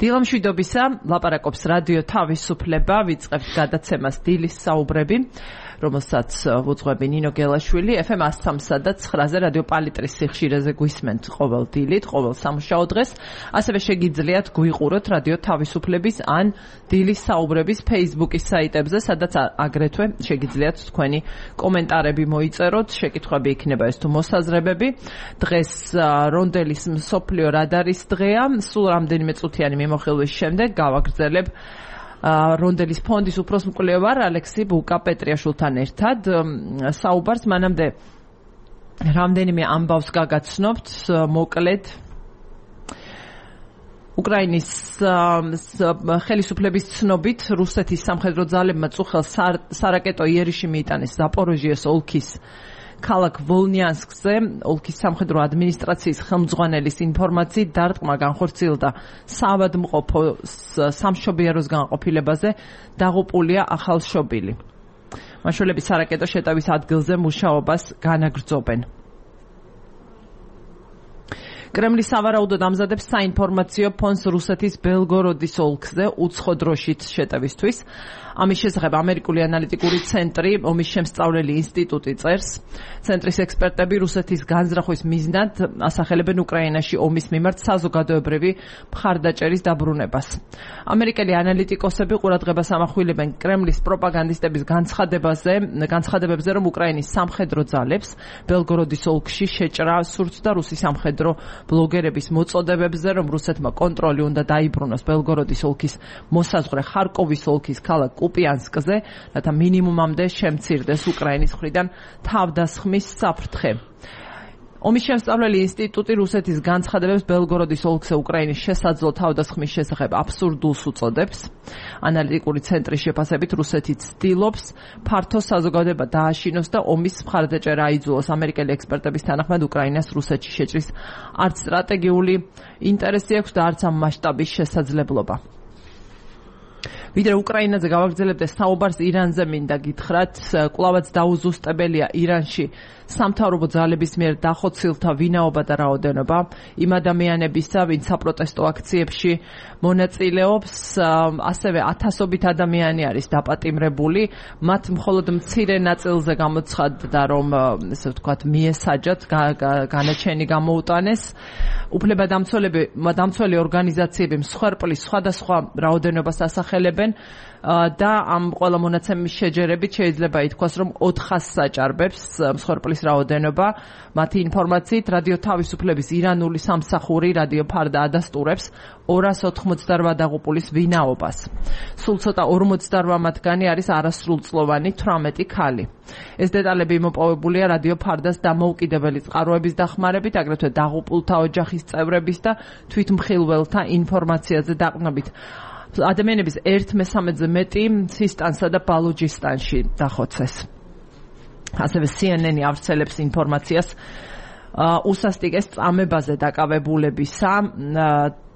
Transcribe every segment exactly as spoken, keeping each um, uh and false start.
დილამშვიდობისა, ლაპარაკობს რადიო თავისუფლება, ვიწყებთ გადაცემას დილის საუბრები, რომელსაც ვუძღვები ნინო გელაშვილი, ეფ ემ one oh three და nine-ზე რადიო პალიტრის სიხშირეზე გვისმენთ ყოველ დილით, ყოველ სამუშაო დღეს, ასევე შეგიძლიათ გვიყუროთ რადიო თავისუფლების ან დილის საუბრების Facebook-ის საიტებზე, სადაც აგრეთვე შეგიძლიათ თქვენი კომენტარები მოიწეროთ, შეკითხვები იქნება ეს თუ მოსაზრებები. დღეს რონდელის მსოფლიო რადარის დღეა, სულ რამდენიმე წუთიანი მიმოხილვის შემდეგ გავაგრძელებ რონდელის ფონდის უფროს მკვლევარ ალექსი ბუკა-პეტრიაშვილთან ერთად საუბარს. მანამდე რამდენიმე ამბავს გაგაცნობთ, მოკლედ უკრაინის ხელისუფლების ცნობით რუსეთის სამხედრო ძალებმა წუხელ სარაკეტო იერიში მიიტანეს ზაპოროჟიეს ოლქის ქალაქ ვოლნიანსკზე. ოლქის სამხედრო ადმინისტრაციის ხელმძღვანელის ინფორმაციით დარტყმა განხორციელდა საავადმყოფო სამშობიაროს განყოფილებაზე დაღუპულია ახალშობილი. მაშველები სარაკეტო შეტევის ადგილზე მუშაობას განაგრძობენ. კრემლი სავარაუდოდ ამზადებს საინფორმაციო ფონს რუსეთის ბელგოროდის ოლქზე უცხო დროშით შეტევისთვის. ამის შესახებ ამერიკული ანალიტიკური ცენტრი, ომის შემსწავლელი ინსტიტუტი წერს. ცენტრის ექსპერტები რუსეთის განზრახვის მიზნად ასახელებენ უკრაინაში ომის მიმართ საზოგადოებრივი მხარდაჭერის დაბრუნებას. ამერიკელი ანალიტიკოსები ყურადღებას ამახვილებენ კრემლის პროპაგანდისტების განცხადებაზე, განცხადებებზე, რომ უკრაინის სამხედრო ძალებს ბელგოროდის ოლქში შეჭრა სურთ და რუსი სამხედრო ბლოგერების მოწოდებებზე, რომ რუსეთმა კონტროლი უნდა დაიბრუნოს ბელგოროდის ოლქის მოსაზღვრე ხარკოვის ოლქის ქალაქ კუპიანსკზე, რათა მინიმუმამდე შემცირდეს უკრაინის მხრიდან თავდასხმის საფრთხე. ომის შემსწავლელი ინსტიტუტი რუსეთის განცხადებებს ბელგოროდის ოლქზე უკრაინის შესაძლო თავდასხმის შესახებ აბსურდულს უწოდებს. ანალიტიკური ცენტრის შეფასებით რუსეთი ცდილობს ფართო საზოგადოება დააშინოს და ომის მხარდაჭერა აიძულოს. ამერიკელი ექსპერტების თანახმად უკრაინას რუსეთში შეჭრის არც სტრატეგიული ინტერესი აქვს და არც ამ მასშტაბის შესაძლებლობა. ვიდრე უკრაინაზე გავაგრძელებდე საუბარს ირანზე მინდა გითხრათ, კვლავაც დაუზუსტებელია ირანში სამთავრობო ძალების მიერ დახოცილთა ვინაობა და რაოდენობა იმ ადამიანებისა, ვინც საპროტესტო აქციებში მონაწილეობს, ასევე ათასობით ადამიანი არის დაპატიმრებული, მათ მხოლოდ მცირე ნაწილზე გამოცხადდა, რომ ესე ვთქვათ, მიესაჯათ, განაჩენი გამოუტანეს. უფლებადამცველი ორგანიზაციები მსხვერპლის სხვადასხვა რაოდენობას ასახელებენ და ამ ყველა მონაცემის შეჯერებით შეიძლება ითქვას, რომ ოთხას საჭარბებს მსხვერპლის რაოდენობა. მათი ინფორმაციით რადიო თავისუფლების ირანული სამსახური რადიო ფარდა ადასტურებს ორას ოთხმოცდარვა დაღუპულის ვინაობას. სულ ცოტა ორმოცდარვა მათგანი არის არასრულწლოვანი თვრამეტი ქალი. ეს დეტალები იმოპოვებულია რადიო ფარდას დამოუკიდებელი წყაროების დახმარებით, აგრეთვე დაღუპულთა ოჯახის წევრების და თვითმხილველთა ინფორმაციაზე დაყრდნობით. ადამიანების ერთ მესამედზე მეტი სისტანსა და ბალუჯისტანში დახოცეს. ასევე C N N ავრცელებს ინფორმაციას უსასტიკეს წამებაზე დაკავებულებისა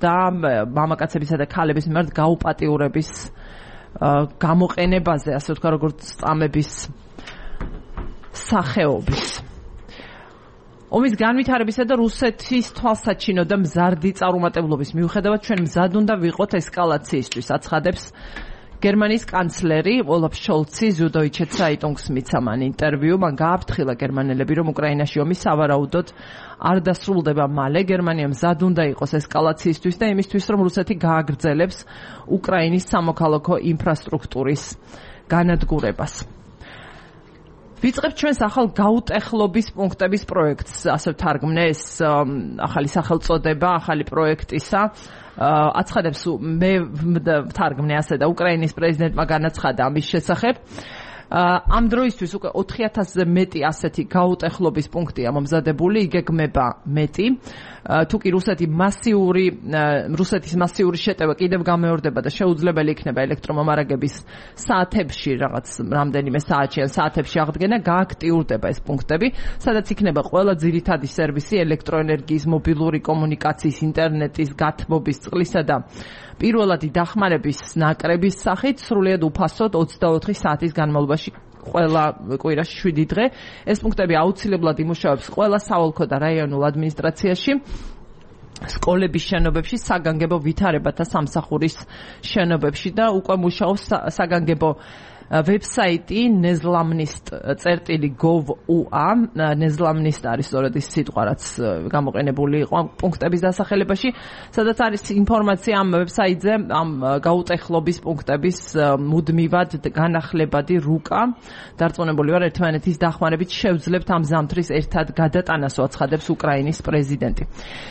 და მამაკაცებისა და ქალების მიმართ გაუპატიურების გამოყენებაზე, ასე ვთქვა, როგორც წამების სახეობის. ომის განვითარებისა და რუსეთის თვალსაჩინო და მზარდი წარუმატებლობის მიუხედავად ჩვენ მზად უნდა ვიყოთ ესკალაციისთვის, აცხადებს გერმანიის კანცლერი ოლაფ შოლცი ზუდოიჩე ცაიტუნგს მიცემ ინტერვიუ. მან გააფრთხილა გერმანელები, რომ უკრაინაში ომი სავარაუდოდ არ დასრულდება მალე. გერმანია მზად უნდა იყოს ესკალაციისთვის და იმისთვის, რომ რუსეთი გააგრძელებს უკრაინის სამოქალაქო ინფრასტრუქტურის განადგურებას. ვიწყებთ ჩვენს ახალ გაუტეხლობის პუნქტების პროექტს, ასე ვთარგმნე ეს ახალი სახელწოდება, ახალი პროექტისა. აცხადებს მე ვთარგმნე ასე და უკრაინის პრეზიდენტმა განაცხადა ამის შესახებ. ამ დროისთვის უკვე ოთხი ათასზე მეტი ასეთი გაუტეხლობის პუნქტია მომზადებული, იგეგმება მეტი. თუ კი რუსეთი მასიური რუსეთის მასიური შეტევა კიდევ გამეორდება და შეუძლებელი იქნება ელექტრომომარაგების საათებში რაღაც რამდენიმე საათში ან საათებში აღდგენა, გააქტიურდება ეს პუნქტები, სადაც იქნება ყველა ძირითადი სერვისი ელექტროენერგიის, მობილური კომუნიკაციის, ინტერნეტის, გათბობის, წყლისა და პირველადი დახმარების ნაკრების სახით სრულიად უფასოდ ოცდაოთხი საათის განმავლობაში ყველა კვირაში შვიდი დღე. ეს პუნქტები აუცილებლად იმუშავებს ყველა საოლქო და რაიონულ ადმინისტრაციაში. სკოლების შენობებში, საგანგებო ვითარებათა სამსახურის შენობებში და უკვე მუშაობს საგანგებო ვებსაიტი nezlamnist წერტილი gov.ua nezlamnist არის სწორედ ის სიტყვა რაც გამოყენებული იყო ამ პუნქტების დასახელებაში, სადაც არის ინფორმაცია ამ ვებსაიტზე ამ გაუტეხლობის პუნქტების მუდმივად განახლებადი რუკა. დარწმუნებული ვარ, ერთმანეთის დახმარებით შევძლებთ ამ ზამთრის ერთად გადატანას, აცხადებს უკრაინის პრეზიდენტი.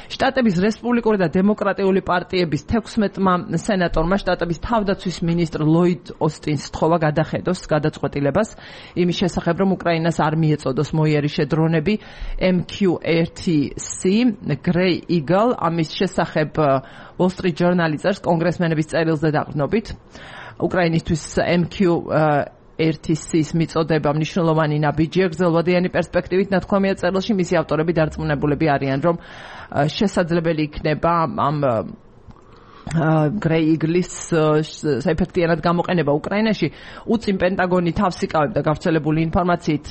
შტატების რესპუბლიკური და დემოკრატიული პარტიების თექვსმეტმა სენატორმა შტატების თავდაცვის მინისტრ ლოიდ ოსტინს სთხოვა გადახედოს გადაწყვეტილებას იმის შესახებ, რომ უკრაინას არ მიეწოდოს მოიერიშე დრონები M Q one C Grey Eagle. ამის შესახებ Wall Street Journal წერს კონგრესმენების წერილზე დაყრდნობით. უკრაინისთვის M Q one C-ის მიწოდება მნიშვნელოვანი ნაბიჯია გრძელვადიანი პერსპექტივით. ნათქვამია წერილში, მისი ავტორები დარწმუნებულები არიან, რომ შესაძლებელი იქნება ამ Grey Eagle-ის საეფექტიანად გამოყენება უკრაინაში. უწინ პენტაგონი თავს იკავებდა გავრცელებული ინფორმაციით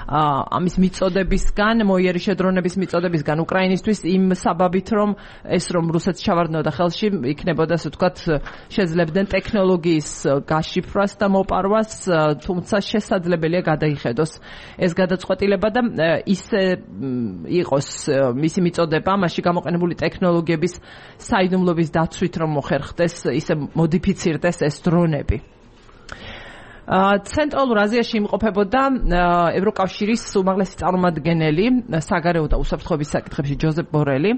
ამის მიწოდებისგან, მოიერიშე დრონების მიწოდებისგან უკრაინისთვის იმ საბაბით, რომ ეს რომ რუსეთს ჩავარდნოდა ხელში, იქნებოდა ასე ვთქვათ შეძლებდნენ ტექნოლოგიის გაშიფრვას და მოპარვას, თუმცა შესაძლებელია გადაიხედოს ეს გადაწყვეტილება და ისე იყოს მისი მიწოდება მასში გამოყენებული ტექნოლოგიების საიდუმლოების დაცვით რომ მოხერხდეს, ისე მოდიფიცირდეს ეს დრონები. ცენტრალურ აზიაში იმყოფებოდა ევროკავშირის უმაღლესი წარმომადგენელი საგარეო და უსაფრთხოების საკითხებში ჯოზეფ ბორელი.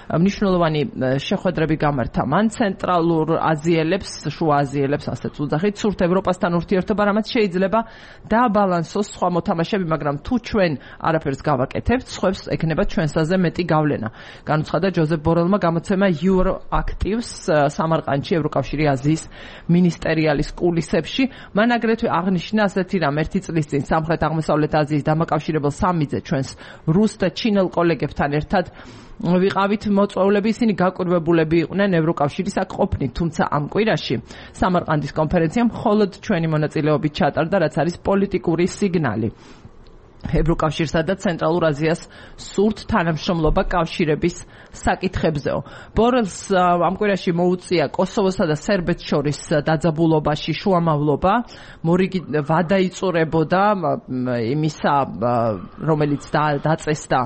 მნიშვნელოვანი შეხვედრები გამართა მან ცენტრალურ აზიელებს, შუა აზიელებს, ასეც უძახით, სურთ ევროპასთან ურთიერთობა, რამაც შეიძლება დააბალანსოს სხვა მოთამაშეები, მაგრამ თუ ჩვენ არაფერს გავაკეთებთ, სხვებს ექნება ჩვენსაზე მეტი გავლენა. განუცხადა ჯოზეფ ბორელმა გამოცემა Euroactives სამარყანდში ევროკავშირი აზიის მინისტერიალის კულისებში. მან აგრეთვე აღნიშნა ასეთი რამ, ერთი წლის წინ სამხრეთ აღმოსავლეთ აზიის დამაკავშირებელ სამიტზე ჩვენს რუს და ჩინელ კოლეგებთან ერთად ვიყავით მოწვეულები, ისინი გაკვირვებულები იყვნენ ევროკავშირის აქ ყოფნით, თუმცა ამ კვირაში სამარყანდის კონფერენცია მხოლოდ ჩვენი მონაწილეობით ჩატარდა, რაც არის პოლიტიკური სიგნალი. ევროკავშირსა და ცენტრალურ აზიას სურთ თანამშრომლობა კავშირების საკითხებზეო. ბორელს ამ კვირაში მოუწია კოსოვოსა და სერბეთს შორის დაძაბულობაში შუამავლობა, მორიგი ვადაიწურებოდა იმისა, რომელიც დაწესდა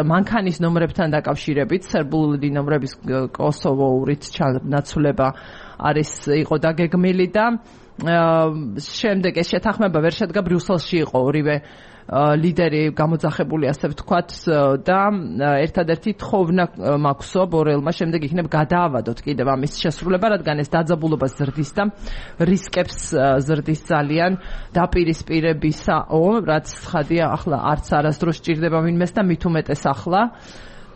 მანქანის ნომრებთან დაკავშირებით, სერბული ნომრების კოსოვოურით ჩანაცვლება არის იყო დაგეგმილი და შემდეგ ეს შეთანხმება ვერ შედგა, ბრიუსელში იყო ორივე ლიდერი გამოძახებული, ასე ვთქვათ, და ერთადერთი თხოვნა მაქვსო ბორელმა შემდეგ იქნებ გადაავადოთ კიდევ ამის შესრულება, რადგან ეს დაძაბულობა ზრდის და რისკებს ზრდის ძალიან დაპირისპირებისაო, რაც ცხადია ახლა არც არასდროს სჭირდება ვინმეს და მით უმეტეს ახლა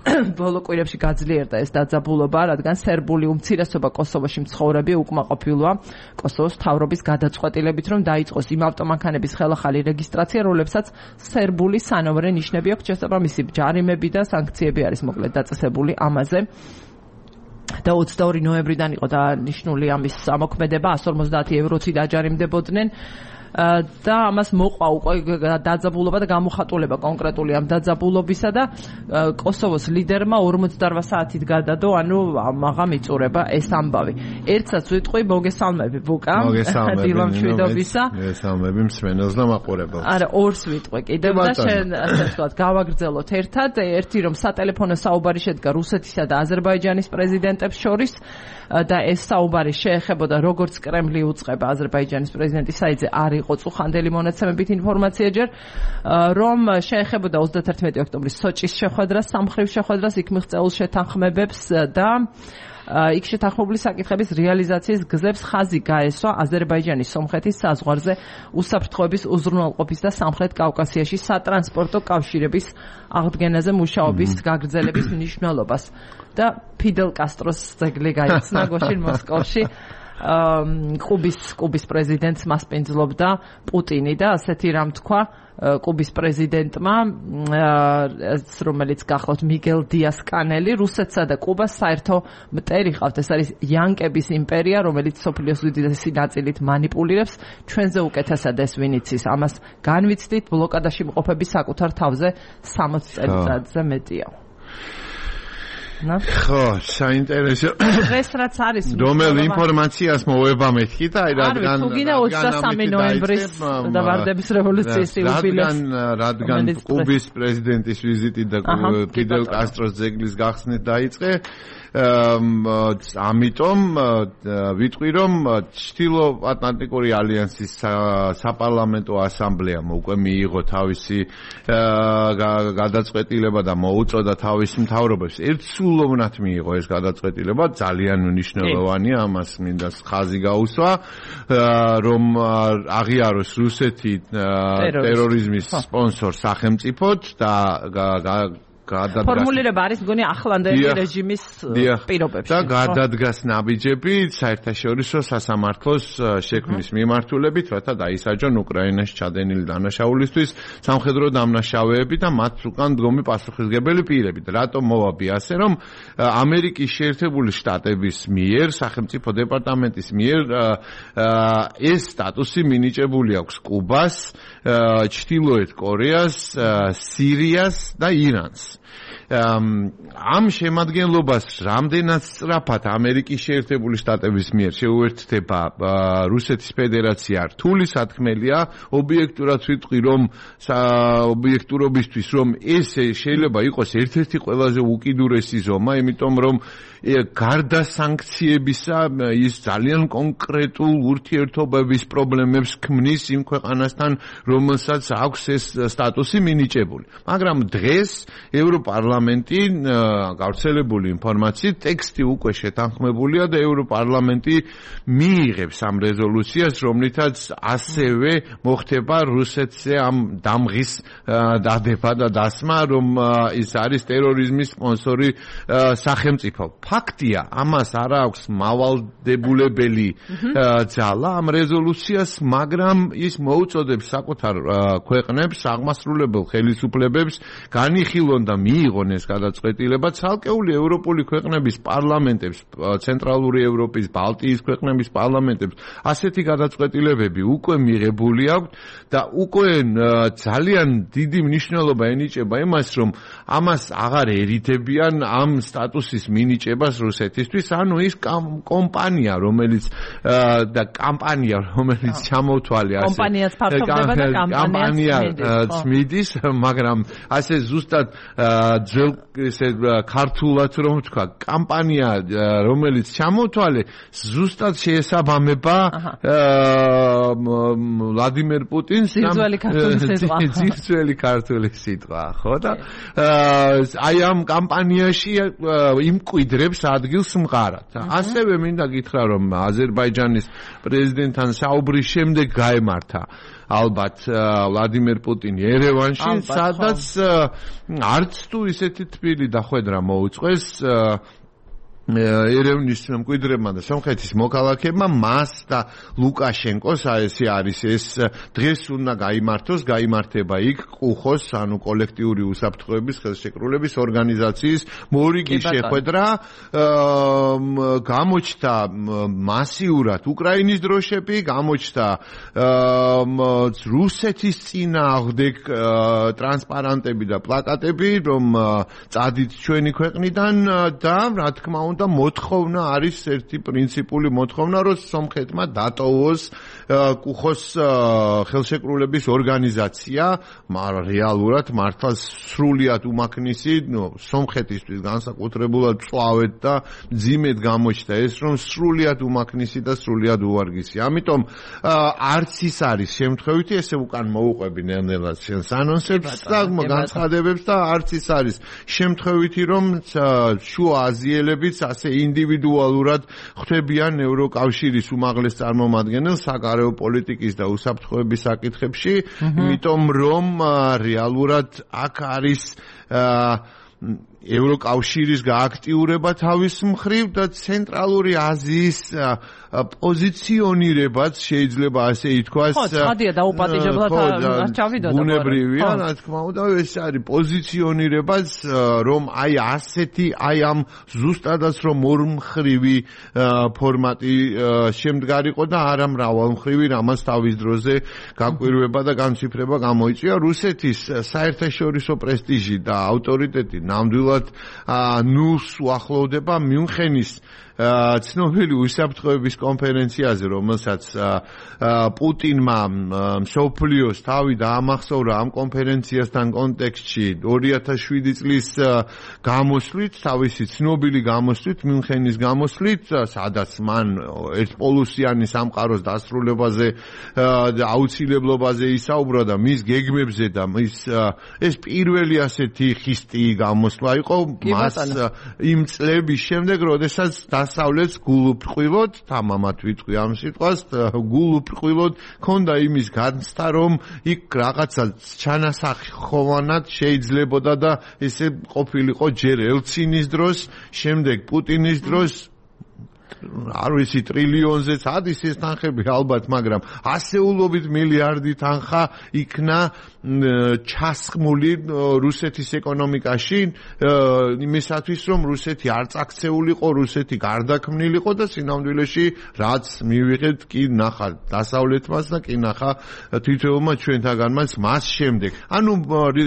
ბოლო კვირებში გაძლიერდა ეს დაძაბულობა, რადგან სერბული უმცირესობა კოსოვოში მცხოვრები უკმაყოფილოა კოსოვოს მთავრობის გადაწყვეტილებით, რომ დაიწყოს იმ ავტომანქანების ხელახალი რეგისტრაცია, რომლებსაც სერბული სანომრე ნიშნები აქვს. შესაბამისი ჯარიმები და სანქციები არის მოკლედ დაწესებული ამაზე. და ოცდაორი ნოემბრიდან იყო დანიშნული ამის ამოქმედება, εκατს ორმოცდაათი ევროთი დაჯარიმდებოდნენ. და ამას მოყვა უკვე დაძაბულობა და გამოხატულება კონკრეტული ამ დაძაბულობისა და კოსოვოს ლიდერმა ორმოცდაორ საათით გადადო, ანუ მაღამ იწურება ეს ამბავი. ერთსაც ვიტყვი, მოგესალმები ბუკა დილა მშვიდობისა. მოგესალმები მსმენელს და მაყურებელს. არა, ორს ვიტყვი კიდევ და შენ ასე ვთქვათ გავაგრძელოთ ერთად. ერთი რომ სატელეფონო საუბარი შედგა რუსეთისა და აზერბაიჯანის პრეზიდენტებს შორის და ეს საუბარი შეეხებოდა როგორც კრემლი უწყება აზერბაიჯანის პრეზიდენტის საიტზე არ იყო წუხანდელი მონაცემებით ინფორმაცია ჯერ, რომ შეეხებოდა ოცდათერთმეტი ოქტომბრის სოჭის შეხვედრას, სამხრივ შეხვედრას, იქ მიღწეულ შეთანხმებებს და იქ შეთანხმებული საკითხების რეალიზაციის გზებს ხაზი გაესვა აზერბაიჯანის სომხეთის საზღვარზე უსაფრთხოების უზრუნველყოფის და სამხრეთ კავკასიაში სატრანსპორტო კავშირების აღდგენაზე მუშაობის გაგრძელების მნიშვნელობას და ფიდელ კასტროს ძეგლი გაიცნა გოშინ მოსკოვში. კუბის კუბის პრეზიდენტს მასპინძლობდა პუტინი და ასეთი რამ თქვა კუბის პრეზიდენტმა, რომელიც გახლავთ მიგელ დიას კანელი, რუსეთსა და კუბას საერთო მტერი ყავთ. ეს არის იანკების იმპერია, რომელიც სოფლიოს უდიდესი ნაწილით მანიპულირებს. ჩვენზე უკეთესად ეს ვინ იცის. ამას განვიცდით, ბლოკადაში მყოფები საკუთარ თავზე სამოცი წელიწადზე მეტია. ხო, საინტერესო. დღეს რაც არის რომელ ინფორმაციას მოვება მეთქი და აი რადგან თუ გინდა ოცდასამი ნოემბრის და ვარდების რევოლუციის იუბილეს რადგან კუბის პრეზიდენტის ვიზიტი და ფიდელ კასტროს ძეგლის გახსნით დაიწყე ამიტომ ვიტყვი რომ ჩრდილო ატლანტიკური ალიანსის საპარლამენტო ასამბლეამ უკვე მიიღო თავისი გადაწყვეტილება და მოუწოდა თავის მთავრობებს ერთსულოვნად მიიღო ეს გადაწყვეტილება ძალიან მნიშვნელოვანია ამას მინდა ხაზი გაუსვა რომ აღიაროს რუსეთი ტერორიზმის სპონსორ სახელმწიფოდ და ფორმულირება არის მგონი ახლანდელი რეჟიმის პირობებში და გადადგას ნაბიჯები საერთაშორისო სასამართლოს შექმნის მიმართულებით, რათა დაისაჯონ უკრაინაში ჩადენილი დანაშაულისთვის სამხედრო დამნაშავეები და მათ უკან დგომი პასუხისმგებელი პირები. რატომ მოვაბი ასე, რომ ამერიკის შეერთებული შტატების მიერ, სახელმწიფო დეპარტამენტის მიერ ეს სტატუსი მინიჭებული აქვს კუბას, ჩრდილოეთ კორეას, სირიას და ირანს. ამ შემადგენლობას რამდენად სწრაფად ამერიკის შეერთებული შტატების მიერ შეუერთდება რუსეთის ფედერაცია რთული სათქმელია ობიექტურად ვიტყვი რომ ობიექტურობისთვის რომ ეს შეიძლება იყოს ერთ-ერთი ყველაზე უკიდურესი ზომა იმიტომ რომ გარდა სანქციებისა ის ძალიან კონკრეტულ ურთიერთობების პრობლემებს ქმნის იმ ქვეყანასთან რომელსაც აქვს ეს სტატუსი მინიჭებული მაგრამ დღეს ევროპარლამენტი გავრცელებული ინფორმაციით ტექსტი უკვე შეთანხმებულია და ევროპარლამენტი მიიღებს ამ რეზოლუციას რომლითაც ასევე მოხდება რუსეთზე ამ დამღის დადება და დასმა რომ ის არის ტერორიზმის სპონსორი სახელმწიფო ფაქტია, ამას არ აქვს მავალდებულებელი ძალა ამ რეზოლუციას, მაგრამ ის მოუწოდებს საკუთარ ქვეყნებს, აღმასრულებელ ხელისუფლებებს განიხილონ და მიიღონ ეს გადაწყვეტილება ცალკეული ევროპული ქვეყნების პარლამენტებს, ცენტრალური ევროპის, ბალტიის ქვეყნების პარლამენტებს ასეთი გადაწყვეტილებები უკვე მიღებული აქვს და უკვე ძალიან დიდი მნიშვნელობა ენიჭება იმას, რომ ამას აღარ ერითებიან ამ სტატუსის მინიჭება რუსეთისთვის, ანუ ის კომპანია, რომელიც და კამპანია, რომელიც ჩამოთვალე ასე. კომპანიაც ფართოვდება და კამპანია წმინდის, მაგრამ ასე ზუსტად ძველ ესე ქართულად რომ ვთქვა, კამპანია, რომელიც ჩამოთვალე, ზუსტად შეესაბამება ვლადიმერ პუტინს ძირცველი ქართული სიტყვა. ძირცველი ქართული სიტყვა, ხო და აი ამ კამპანიაში იმკვიდრებს ადგილს მყარად. ასევე მინდა გითხრა რომ აზერბაიჯანის პრეზიდენტთან საუბრის შემდეგ გაემართა ალბათ ვლადიმერ პუტინი ერევანში, სადაც არც თუ ისეთი თბილი დახვედრა მოუწყვეს ერევნის მკვიდრებმა და სომხეთის მოქალაქეებმა მას და ლუკაშენკოს ესე არის ეს დღეს უნდა გაიმართოს, გაიმართება იქ ყუხოს, ანუ კოლექტიური უსაფრთხოების ხელშეკრულების ორგანიზაციის მორიგი შეხვედრა გამოჩნდა მასიურად უკრაინის დროშები, გამოჩნდა რუსეთის წინააღმდეგ ტრანსპარანტები და პლაკატები, რომ წადით ჩვენი ქვეყნიდან და რა თქმა უნდა და მოთხოვნა არის ერთი პრინციპული მოთხოვნა, რომ სომხეთმა დატოვოს კუხოს ხელშეკრულების ორგანიზაცია, მაგრამ რეალურად მართლა სრულიად უმაქნისი, ნუ სომხეთისთვის განსაკუთრებულად წვავეთ და ძიმედ გამოჩნდა ეს, რომ სრულიად უმაქნისი და სრულიად უვარგისი. ამიტომ არც ის არის შემთხვევითი, ესე უკან მოუყვები ნელ-ნელად შენს ანონსებს და განცხადებებს და არც ის არის შემთხვევითი, რომ შუა აზიელებიც ასე ინდივიდუალურად ხვდებიან ევროკავშირის უმაღლეს წარმომადგენელს საგარეო პოლიტიკის და უსაფრთხოების საკითხებში, იმიტომ რომ რეალურად აქ არის ევროკავშირის გააქტიურება თავის მხრივ და ცენტრალური აზიის პოზიციონირებაც შეიძლება ასე ითქვას. ხო, ცხადია დაუპატიჟებლად არ ჩავიდოდა. ბუნებრივია, რა თქმა უნდა, ეს არის პოზიციონირებაც, რომ აი ასეთი, აი ამ ზუსტადაც რომ ორმხრივი ფორმატი შემდგარიყო და არა მრავალმხრივი, რამაც თავის დროზე გაკვირვება და განციფრება გამოიწვია. რუსეთის საერთაშორისო პრესტიჟი და ავტორიტეტი ნამდვილად პრაქტიკულად ნულს უახლოვდება მიუნხენის ცნობილი უსაფრთხოების კონფერენციაზე, რომელსაც პუტინმა მსოფლიოს თავი დაამახსოვრა ამ კონფერენციასთან კონტექსტში ორი ათას შვიდი წლის გამოსვლით, თავისი ცნობილი გამოსვლით, მიუნხენის გამოსვლით, სადაც მან ერთპოლუსიანი სამყაროს დასრულებაზე და აუცილებლობაზე ისაუბრა და მის გეგმებზე და მის ეს პირველი ასეთი ხისტი გამოსვლა იყო მას იმ წლების შემდეგ, როდესაც დასავლეთს გულუბრყვილოდ, თამამად ვიტყვი ამ სიტყვას, გულუბრყვილოდ ქონდა იმის განცდა, რომ იქ რაღაცა ჩანასახხოვანად შეიძლებოდა და ესე ყოფილიყო ჯერ ელცინის დროს, შემდეგ პუტინის დროს, არ ვიცი ტრილიონზეც ადის ეს თანხები ალბათ, მაგრამ ასეულობით მილიარდი თანხა იქნა ჩასხმული რუსეთის ეკონომიკაში იმისათვის, რომ რუსეთი არ წაქცეულიყო, რუსეთი გარდაქმნილიყო და სინამდვილეში რაც მივიღეთ კი ნახა დასავლეთმაც და კი ნახა თითოეულმა ჩვენთაგანმაც მას შემდეგ. ანუ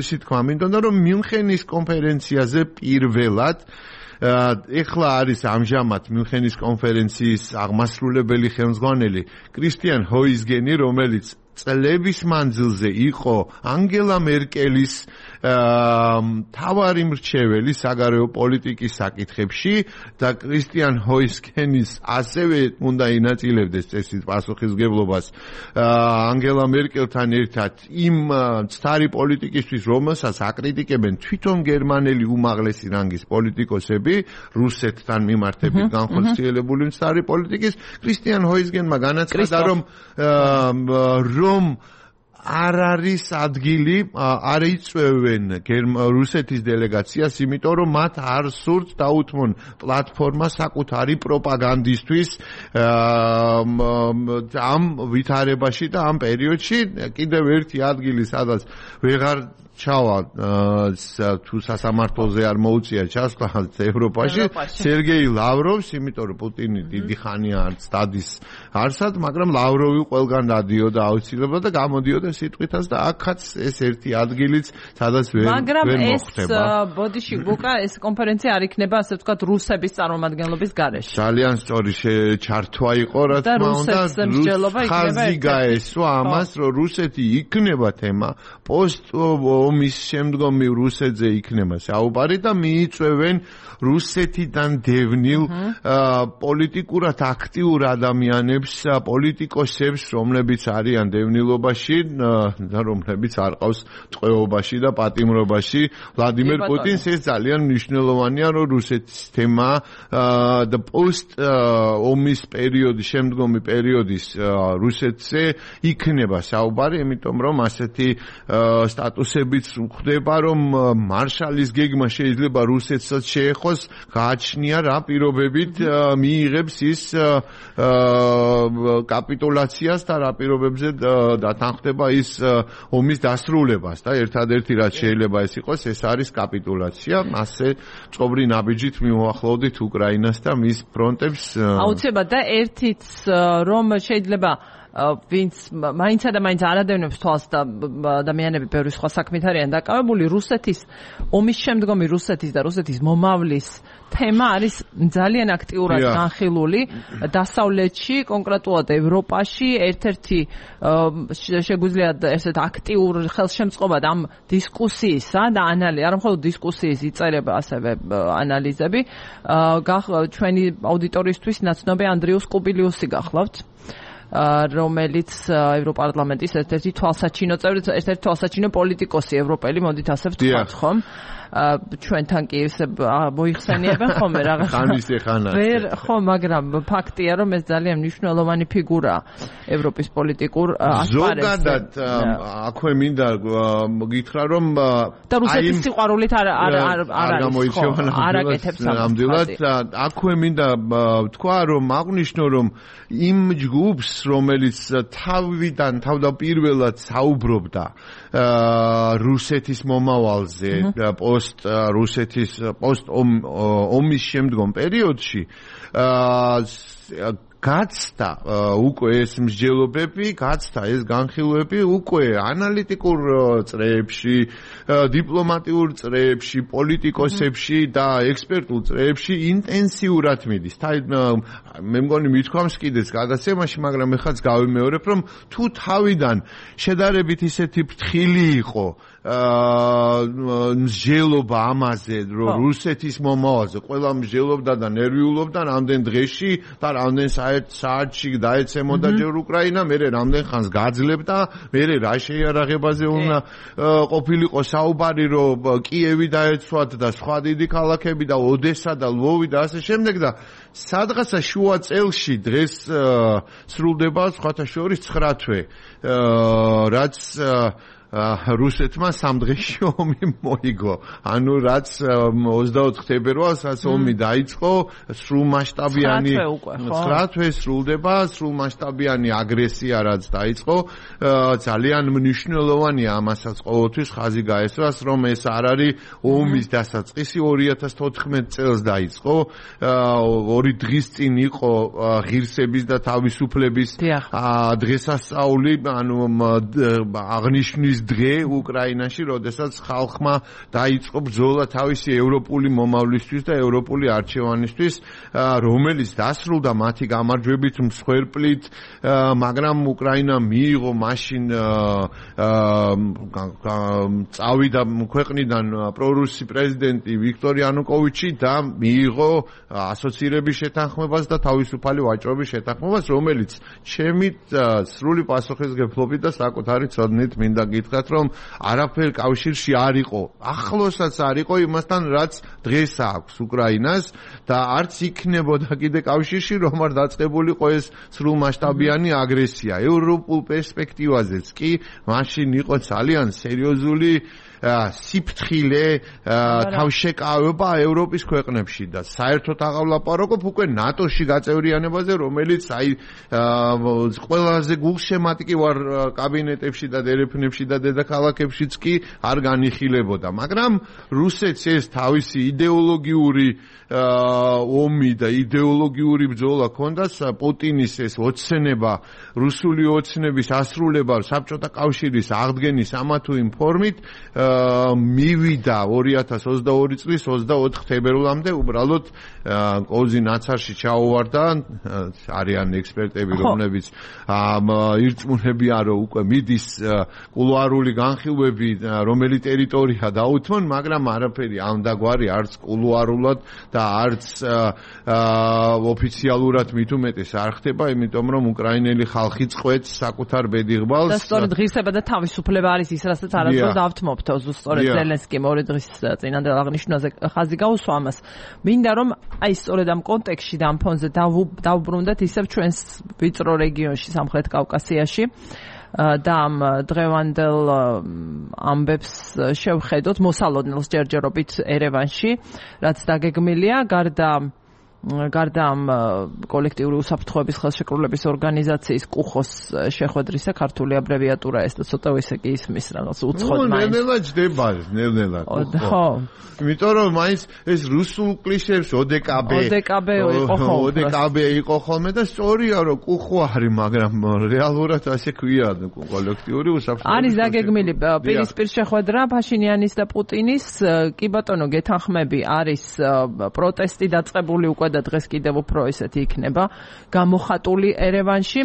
ისე თქვა მინდოდა, რომ მიუნხენის კონფერენციაზე პირველად ეხლა არის ამჟამად მიუნხენის კონფერენციის აღმასრულებელი ხელმძღვანელი კრისტიან ჰოიზგენი, რომელიც წლების მანძილზე იყო ანგელა მერკელის მთავარი მრჩეველი საგარეო პოლიტიკის საკითხებში და კრისტიან ჰოიზგენის ასევე უნდა ინაწილებდეს წესით პასუხისმგებლობას ანგელა მერკელთან ერთად იმ მცდარი პოლიტიკისთვის, რომელსაც აკრიტიკებენ თვითონ გერმანელი უმაღლესი რანგის პოლიტიკოსები, რუსეთთან მიმართებით განხორციელებული მცდარი პოლიტიკის. კრისტიან ჰოიზგენმა განაცხადა, რომ რომ არ არის ადგილი, არ იწვევენ რუსეთის დელეგაციას, იმიტომ რომ მათ არ სურთ დაუთმონ პლატფორმა საკუთარი პროპაგანდისთვის ამ ვითარებაში და ამ პერიოდში. კიდევ ერთი ადგილი, სადაც ვეღარ ჩავა თუ სასამართლოზე არ მოუწია ჩასვლა ევროპაში, სერგეი ლავროვს, იმიტომ რომ პუტინი დიდი ხანია არც დადის არსად, მაგრამ ლავროვი ყველგან დადიოდა აუცილებლად და გამოდიოდა სიტყვითაც და აქაც ეს ერთი ადგილიც, სადაც ვერ ვერ მოხდება. მაგრამ ეს ბოდიში გუკა ეს კონფერენცია არ იქნება, ასე ვთქვათ, რუსების წარმომადგენლობის გარეშე. ძალიან სწორი ჩართვა იყო, რა თქმა უნდა, ხაზი გაესვა ამას, რომ რუსეთი იქნება თემა პოსტ ომის შემდგომი რუსეთზე იქნება საუბარი და მიიწვევენ რუსეთიდან დევნილ პოლიტიკურად აქტიურ ადამიანებს, პოლიტიკოსებს, რომლებიც არიან დევნილობაში და რომლებიც არ ყავს ტყვეობაში და პატიმრობაში. ვლადიმერ პუტინს ეს ძალიან მნიშვნელოვანია, რომ რუსეთის თემა და პოსტ ომის პერიოდი, შემდგომი პერიოდის რუსეთზე იქნება საუბარი, იმიტომ რომ ასეთი სტატუსებიც ხდება, რომ მარშალის გეგმა შეიძლება რუსეთსაც შეეხოს, გააჩნია რა პირობებით მიიღებს ის კაპიტულაციას და რა პირობებზე დათანხმდება ის ომის დასრულებას და ერთადერთი რაც შეიძლება ეს იყოს, ეს არის კაპიტულაცია. ასე წობრი ნაბიჯით მივუახლოვდით უკრაინას და მის ფრონტებს. აუცილებლად და ერთიც რომ შეიძლება ვინც მაინცა და მაინც არადევნებს თვალს და ადამიანები ბევრი სხვა საქმით არიან დაკავებული, რუსეთის ომის შემდგომი რუსეთის და რუსეთის მომავლის თემა არის ძალიან აქტიურად განხილული დასავლეთში, კონკრეტულად ევროპაში. ერთ-ერთი შეგვიძლია ესეთ აქტიურ ხელშემწყობად ამ დისკუსიისა და ანალიზ, არა მხოლოდ დისკუსიის იწერება, ასევე ანალიზები. ჩვენი აუდიტორიისთვის ნაცნობი ანდრიუს კუბილიუსი გახლავთ, რომელიც ევროპარლამენტის ერთ-ერთი თვალსაჩინო წევრი, ერთ-ერთი თვალსაჩინო პოლიტიკოსი ევროპელი, მოდით ასე ვთქვათ, ხომ? ჩვენთან კი ისე მოიხსენიებენ ხოლმე რაღაც. ხანის ეხანა. ვერ ხო, მაგრამ ფაქტია, რომ ეს ძალიან მნიშვნელოვანი ფიგურაა ევროპის პოლიტიკურ ასპარეზზე. ზოგადად აქვე მინდა გითხრა, რომ და რუსეთის სიყვარულით არ არ არ არ გამოირჩევა არაკეთებს ნამდვილად. აქვე მინდა თქვა, რომ აღნიშნო, რომ იმ ჯგუფს, რომელიც თავიდან თავდაპირველად საუბრობდა რუსეთის მომავალზე, პოსტ რუსეთის პოსტ ომის შემდგომ პერიოდში გაცდა უკვე ეს მსჯელობები, გაცდა ეს განხილვები უკვე ანალიტიკურ წრეებში, დიპლომატიურ წრეებში, პოლიტიკოსებში და ექსპერტულ წრეებში ინტენსიურად მიდის. მე მგონი მithქვამს კიდეც გადაცემაში, მაგრამ ეხაც გავიმეორებ, რომ თუ თავიდან შედარებით ისეთი ფრთხილი იყო მსჯელობა ამაზე, რომ რუსეთის მომავალზე ყველა მსჯელობდა და ნერვიულობდა რამდენ დღეში და რამდენ საათში დაეცემოდა ჯერ უკრაინა, მერე რამდენ ხანს გაძლებდა, მერე რა შეიარაღებაზე უნდა ყოფილიყო საუბარი, რომ კიევი დაეცვათ და სხვა დიდი ქალაქები და ოდესა და ლვოვი და ასე შემდეგ და სადღაცა შუა წელში დღეს სრულდება სხვათა შორის ცხრა თვე, რაც რუსეთმა სამ დღეში ომი მოიგო. ანუ რაც ოცდაოთხ თებერვალს ომი დაიწყო, სრულმასშტაბიანი ცხრა თვე სრულდება, სრულმასშტაბიანი აგრესია რაც დაიწყო, ძალიან მნიშვნელოვანია ამასაც ყოველთვის ხაზი გაესვას, რომ ეს არ არის ომის დასაწყისი, ორი ათას თოთხმეტ წელს დაიწყო, ორი დღის წინ იყო ღირსების და თავისუფლების დღესასწაული, ანუ აღნიშნვის დღე უკრაინაში, როდესაც ხალხმა დაიწყო ბრძოლა თავისი ევროპული მომავლისთვის და ევროპული არჩევანისთვის, რომელიც დასრულდა მათი გამარჯვებით მსხვერპლით, მაგრამ უკრაინა მიიღო მაშინ წავიდა ქვეყნიდან პრორუსი პრეზიდენტი ვიქტორ იანუკოვიჩი და მიიღო ასოცირების შეთანხმებას და თავისუფალი ვაჭრობის შეთანხმებას, რომელიც ჩემი სრული პასუხისმგებლობით და საკუთარი ცოდნით მინდა გითხრათ, რომ არაფერ კავშირში არ იყო, ახლოსაც არ იყო იმასთან, რაც დღეს აქვს უკრაინას და არც იქნებოდა კიდე კავშირში, რომ არ დაწყებულიყო ეს სრულმასშტაბიანი აგრესია. ევროპულ პერსპექტივაზეც კი მაშინ იყო ძალიან სერიოზული სიფრთხილე თავშეკავება ევროპის ქვეყნებში და საერთოდ აღავლაპარაკობ უკვე ნატოში გაწევრიანებაზე, რომელიც აი ყველაზე გულშემატკი ვარ კაბინეტებში და დერეფნებში და დედაქალაქებშიც კი არ განიხილებოდა. მაგრამ რუსეთს ეს თავისი იდეოლოგიური ომი და იდეოლოგიური ბრძოლა ჰქონდა, პუტინის ეს ოცნება, რუსული ოცნების ასრულება საბჭოთა კავშირის აღდგენის ამა თუ იმ ფორმით მივიდა ორი ათას ოცდაორი წლის ოცდაოთხ თებერვლამდე, უბრალოდ კოზი ნაცარში ჩაუვარდა, არიან ექსპერტები, რომლებიც ირწმუნებიან, რომ უკვე მიდის კულუარული განხილვები, რომელი ტერიტორია დაუთმონ, მაგრამ არაფერი ამდაგვარი არც კულუარულად და არც ოფიციალურად მით უმეტეს არ ხდება, იმიტომ რომ უკრაინელი ხალხი წყვეტს საკუთარ ბედიღბალს. და სწორედ ღირსება და თავისუფლება არის ის, რასაც არასდროს დავთმობთ, ზუსტად ზელენსკიმ ორი დღის წინანდელ აღნიშვნაზე ხაზი გაუსვა ამას. მინდა რომ აი სწორედ ამ კონტექსტში და ამ ფონზე დავუბრუნდეთ ისევ ჩვენს ვიწრო რეგიონში, სამხრეთ კავკასიაში და ამ დღევანდელ ამბებს შევხედოთ მოსალოდნელს ჯერჯერობით ერევანში, რაც დაგეგმილია გარდა გარდა ამ კოლექტიური უსაფრთხოების ხელშეკრულების ორგანიზაციის კუხოს შეხვედრისა, ქართული აბრევიატურა ეს და ცოტა ისე კი ისმის რაღაც უცხოდ მაინც. ნელ-ნელა ჯდება, ნელ-ნელა. ხო. იმიტომ რომ მაინც ეს რუსულ კლიშეებს ოდეკაბე. ოდეკაბე იყო ხოლმე. ოდეკაბე იყო ხოლმე და სწორია რომ კუხო არის, მაგრამ რეალურად ასე ქვია კოლექტიური უსაფრთხოების. არის დაგეგმილი პირისპირ შეხვედრა ფაშინიანის და პუტინის, კი ბატონო გეთანხმები, არის პროტესტი დაწყებული უკვე და დღეს კიდევ უფრო ესეთი იქნება გამოხატული ერევანში.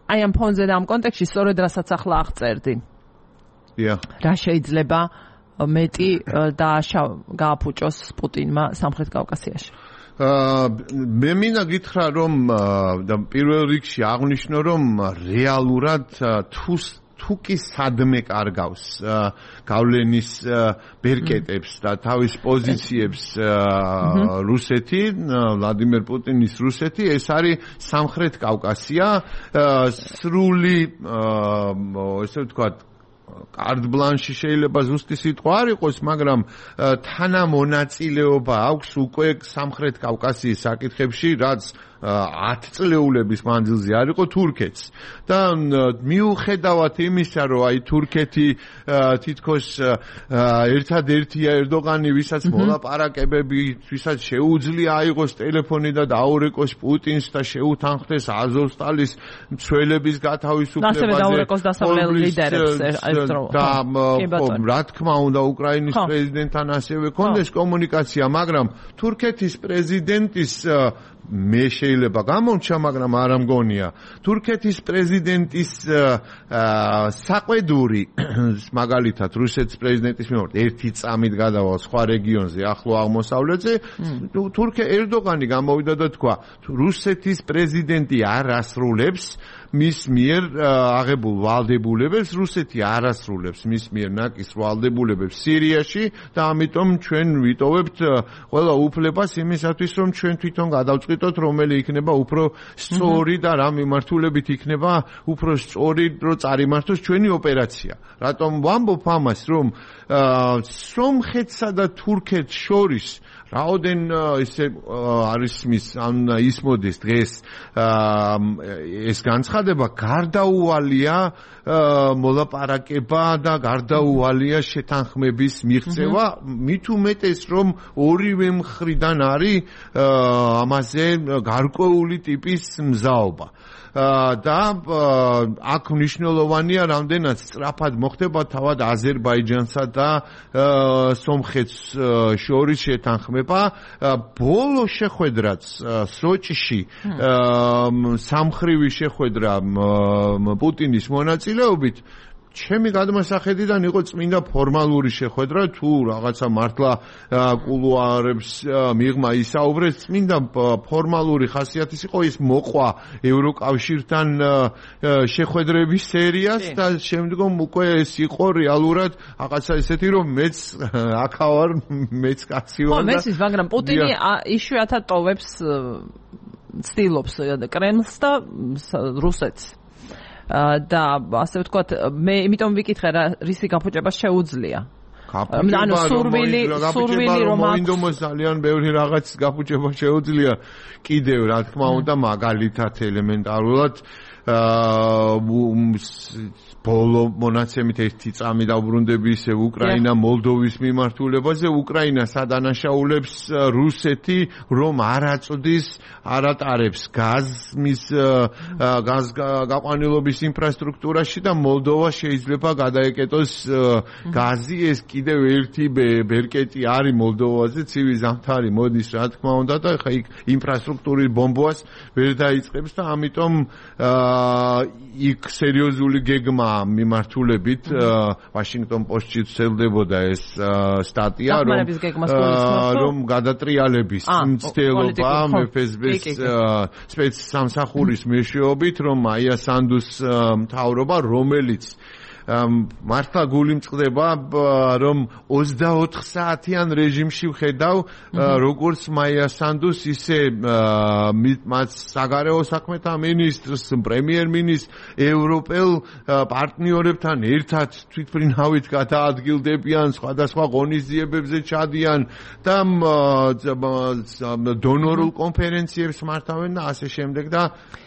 აი ამ ფონზე და ამ კონტექსტში სწორედ რასაც ახლა აღწერდი. დიახ. რა შეიძლება მეტი გააფუჭოს პუტინმა სამხრეთ კავკასიაში? მე მინდა გითხრა რომ და პირველ რიგში აღნიშნო რომ რეალურად თუ თუ კი სადმე კარგავს გავლენის ბერკეტებს და თავის პოზიციებს რუსეთი, ვლადიმერ პუტინის რუსეთი, ეს არის სამხრეთ კავკასია, სრული ესე ვთქვათ კარდ ბლანში შეიძლება ზუსტი სიტყვა არ იყოს, მაგრამ თანამონაწილეობა აქვს უკვე სამხრეთ კავკასიის საკითხებში, რაც ათ წლეულების მანძილზე არ იყო თურქეთს და მიუხედავად იმისა რომ აი თურქეთი თითქოს ერთადერთია ერდოღანი ვისაც მოლაპარაკებები ვისაც შეუძლია აიღოს ტელეფონი და დაურეკოს პუტინს და შეუთანხმდეს აზოვსტალის მცველების გათავისუფლებაზე ასევე დაურეკოს დასავლელ ლიდერებს ერთდროულად და რა თქმა უნდა უკრაინის პრეზიდენტთან ასევე კონდეს კომუნიკაცია მაგრამ თურქეთის პრეზიდენტის მე შეიძლება გამომჩა, მაგრამ არ ამგონია. თურქეთის პრეზიდენტის საყვედური, მაგალითად, რუსეთის პრეზიდენტის მიმართ ერთი წამით გადავალ სხვა რეგიონზე, ახლო აღმოსავლეთზე, თურქე ერდოღანი გამოვიდა და თქვა, რუსეთის პრეზიდენტი არ ასრულებს მის მიერ აღებულ ვალდებულებებს, რუსეთი არ ასრულებს მის მიერ ნაკის ვალდებულებებს სირიაში და ამიტომ ჩვენ ვიტოვებთ ყველა უფლებას იმისათვის, რომ ჩვენ თვითონ გადავწყვიტოთ, რომელი იქნება უფრო სწორი და რა მიმართულებით იქნება უფრო სწორი, რომ წარიმართოს ჩვენი ოპერაცია. რატომ ვამბობ ამას, რომ სომხეთსა და თურქეთს შორის რაოდენ ისე არის მის ან ისმოდეს დღეს ეს განცხადება გარდაუვალია მოლაპარაკება და გარდაუვალია შეთანხმების მიღწევა მით უმეტეს რომ ორივე მხრიდან არის ამაზე გარკვეული ტიპის მზაობა და აქ მნიშვნელოვანია რამდენად სწრაფად მოხდება თავად აზერბაიჯანსა და სომხეთს შორის შეთანხმება ბოლო შეხვედრაც სოჭში სამხრივი შეხვედრა პუტინის მონაწილეობით ჩემი გადმოსახედიდან იყო წმინდა ფორმალური შეხვედრა თუ რაღაცა მართლა კულუარებს მიღმა ისაუბრეს წმინდა ფორმალური ხასიათის იყო ის მოყვა ევროკავშირთან შეხვედრების სერიას და შემდგომ უკვე ეს იყო რეალურად რაღაცა ისეთი რომ მეც აქავარ მეც კაცი ვარ და მესის მაგრამ პუტინი იშვიათად ტოვებს ცდილობს კრემლს და რუსეთს და ასე ვთქვათ მე იმიტომ ვიკითხე რა რისი გაფუჭება შეუძლია ანუ სურვილი სურვილი რომ მოინდომოს ძალიან ბევრი რაღაც გაფუჭება შეუძლია კიდევ რა თქმა უნდა მაგალითად ელემენტარულად ბოლო მონაცემით ერთი წამი დაუბრუნდები ისე უკრაინა მოლდოვის მიმართულებაზე უკრაინა სადანაშაულებს რუსეთი რომ არ აწვდის არ ატარებს გაზმის გაზ გაყვანილობის ინფრასტრუქტურაში და მოლდოვა შეიძლება გადაეკეტოს გაზი ეს კიდევ ერთი ბერკეტი არის მოლდოვაზე ცივი ზამთარი მოდის რა თქმა უნდა და ხა იქ ინფრასტრუქტურის ბომბას ვერ დაიწყებს და ამიტომ იქ სერიოზული გეგმა მიმართულებით ვაშინგტონ პოსტში ცელდებოდა ეს სტატია რომ რომ გადატრიალების მცდელობა მეფესბის სპეცსამსახურის მეშვეობით რომ მაია სანდუს მთავრობა რომელიც მართლა გული მწყდება რომ ოცდაოთხ საათიან რეჟიმში ვხედავ როგორც მაია სანდუს ისე მათ საგარეო საქმეთა მინისტრს პრემიერ-მინისტრს ევროპელ პარტნიორებთან ერთად თვითმფრინავით გადაადგილდებიან სხვადასხვა ღონისძიებებზე ჩადიან და დონორულ კონფერენციებს მართავენ და ასე შემდეგ და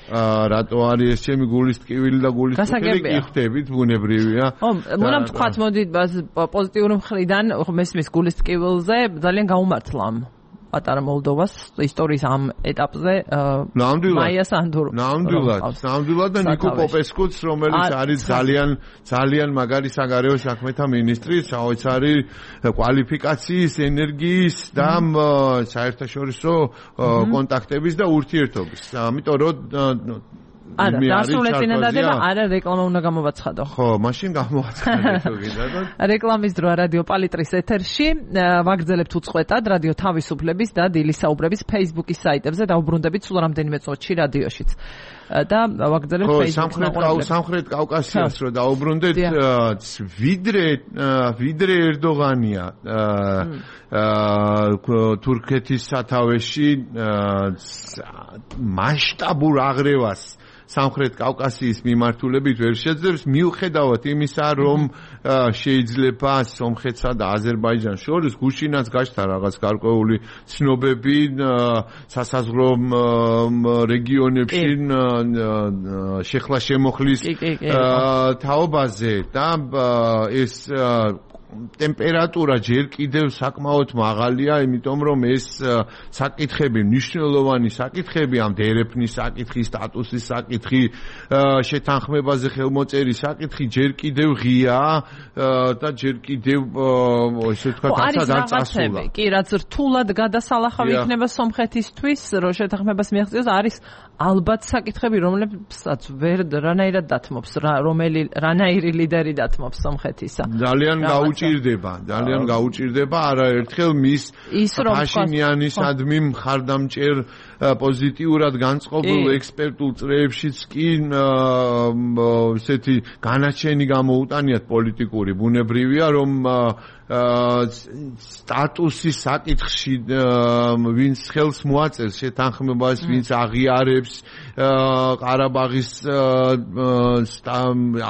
რატო არის ეს ჩემი გულის ტკივილი და გულის ტკივილი კი ხვდებით ბუნებრივია ო მოდამ თქვათ მოდი პოზიტიური მხრიდან მესმის გულის ტკივილზე ძალიან გაუმართლა პატარა მოლდოვას ისტორიის ამ ეტაპზე მაია სანდურო ნამდვილად ნამდვილად და ნიკო პოპესკუც რომელიც არის ძალიან ძალიან მაგარი საგარეო საქმეთა მინისტრი საოცარი კვალიფიკაციის ენერგიის და საერთაშორისო კონტაქტების და ურთიერთობის ამიტომ რომ არა, დასრულეთ წინადადება, არა რეკლამა უნდა გამოვაცხადო. ხო, მაშინ გამოვაცხადეთ კიდე. რეკლამის დროა რადიო პალიტრის ეთერში. ვაგრძელებთ უწყვეტად რადიო თავისუფლების და დილის საუბრების Facebook-ის საიტებზე დაუბრუნდებით სულ რამდენიმე წუთში რადიოშიც. და ვაგრძელებთ Facebook-ს. სამხრეთ კავკასიას რო დაუბრუნდეთ, ვიდრე ვიდრე ერდოღანია თურქეთის სათავეში მასშტაბურ აღრევას სამხრეთ კავკასიის მიმართულებით ვერ შეძლებს მიუხედავად იმისა რომ შეიძლება სომხეთსა და აზერბაიჯანს შორის გუშინაც გაჩნდა რაღაც გარკვეული ცნობები სასაზღვრო რეგიონებში შეხლა შემოხლის თაობაზე და ეს ტემპერატურა ჯერ კიდევ საკმაოდ მაღალია, იმიტომ რომ ეს საკითხები, მნიშვნელოვანი საკითხები, ამ დერეფნის საკითხი, სტატუსის საკითხი, შეთანხმებაზე ხელმოწერის საკითხი ჯერ კიდევ ღიაა და ჯერ კიდევ ესე ვთქვათ, ასად არ წასულა. კი, რაც რთულად გადასალახავი იქნება სომხეთისთვის, რომ შეთანხმებას მიაღწიოს, არის ალბათ საკითხები, რომლებსაც ვერ რანაირად დათმობს, რომელი რანაირი ლიდერი დათმობს სომხეთისა. ძალიან გაუჭირდება, ძალიან გაუჭირდება არაერთხელ მის ფაშინიანისადმი მხარდამჭერ პოზიტიურად განწყობილ ექსპერტულ წრეებშიც კი ესეთი განაჩენი გამოუტანიათ პოლიტიკური. ბუნებრივია, რომ სტატუსის საკითხში ვინც ხელს მოაწერს შეთანხმებას, ვინც აღიარებს ყარაბაღის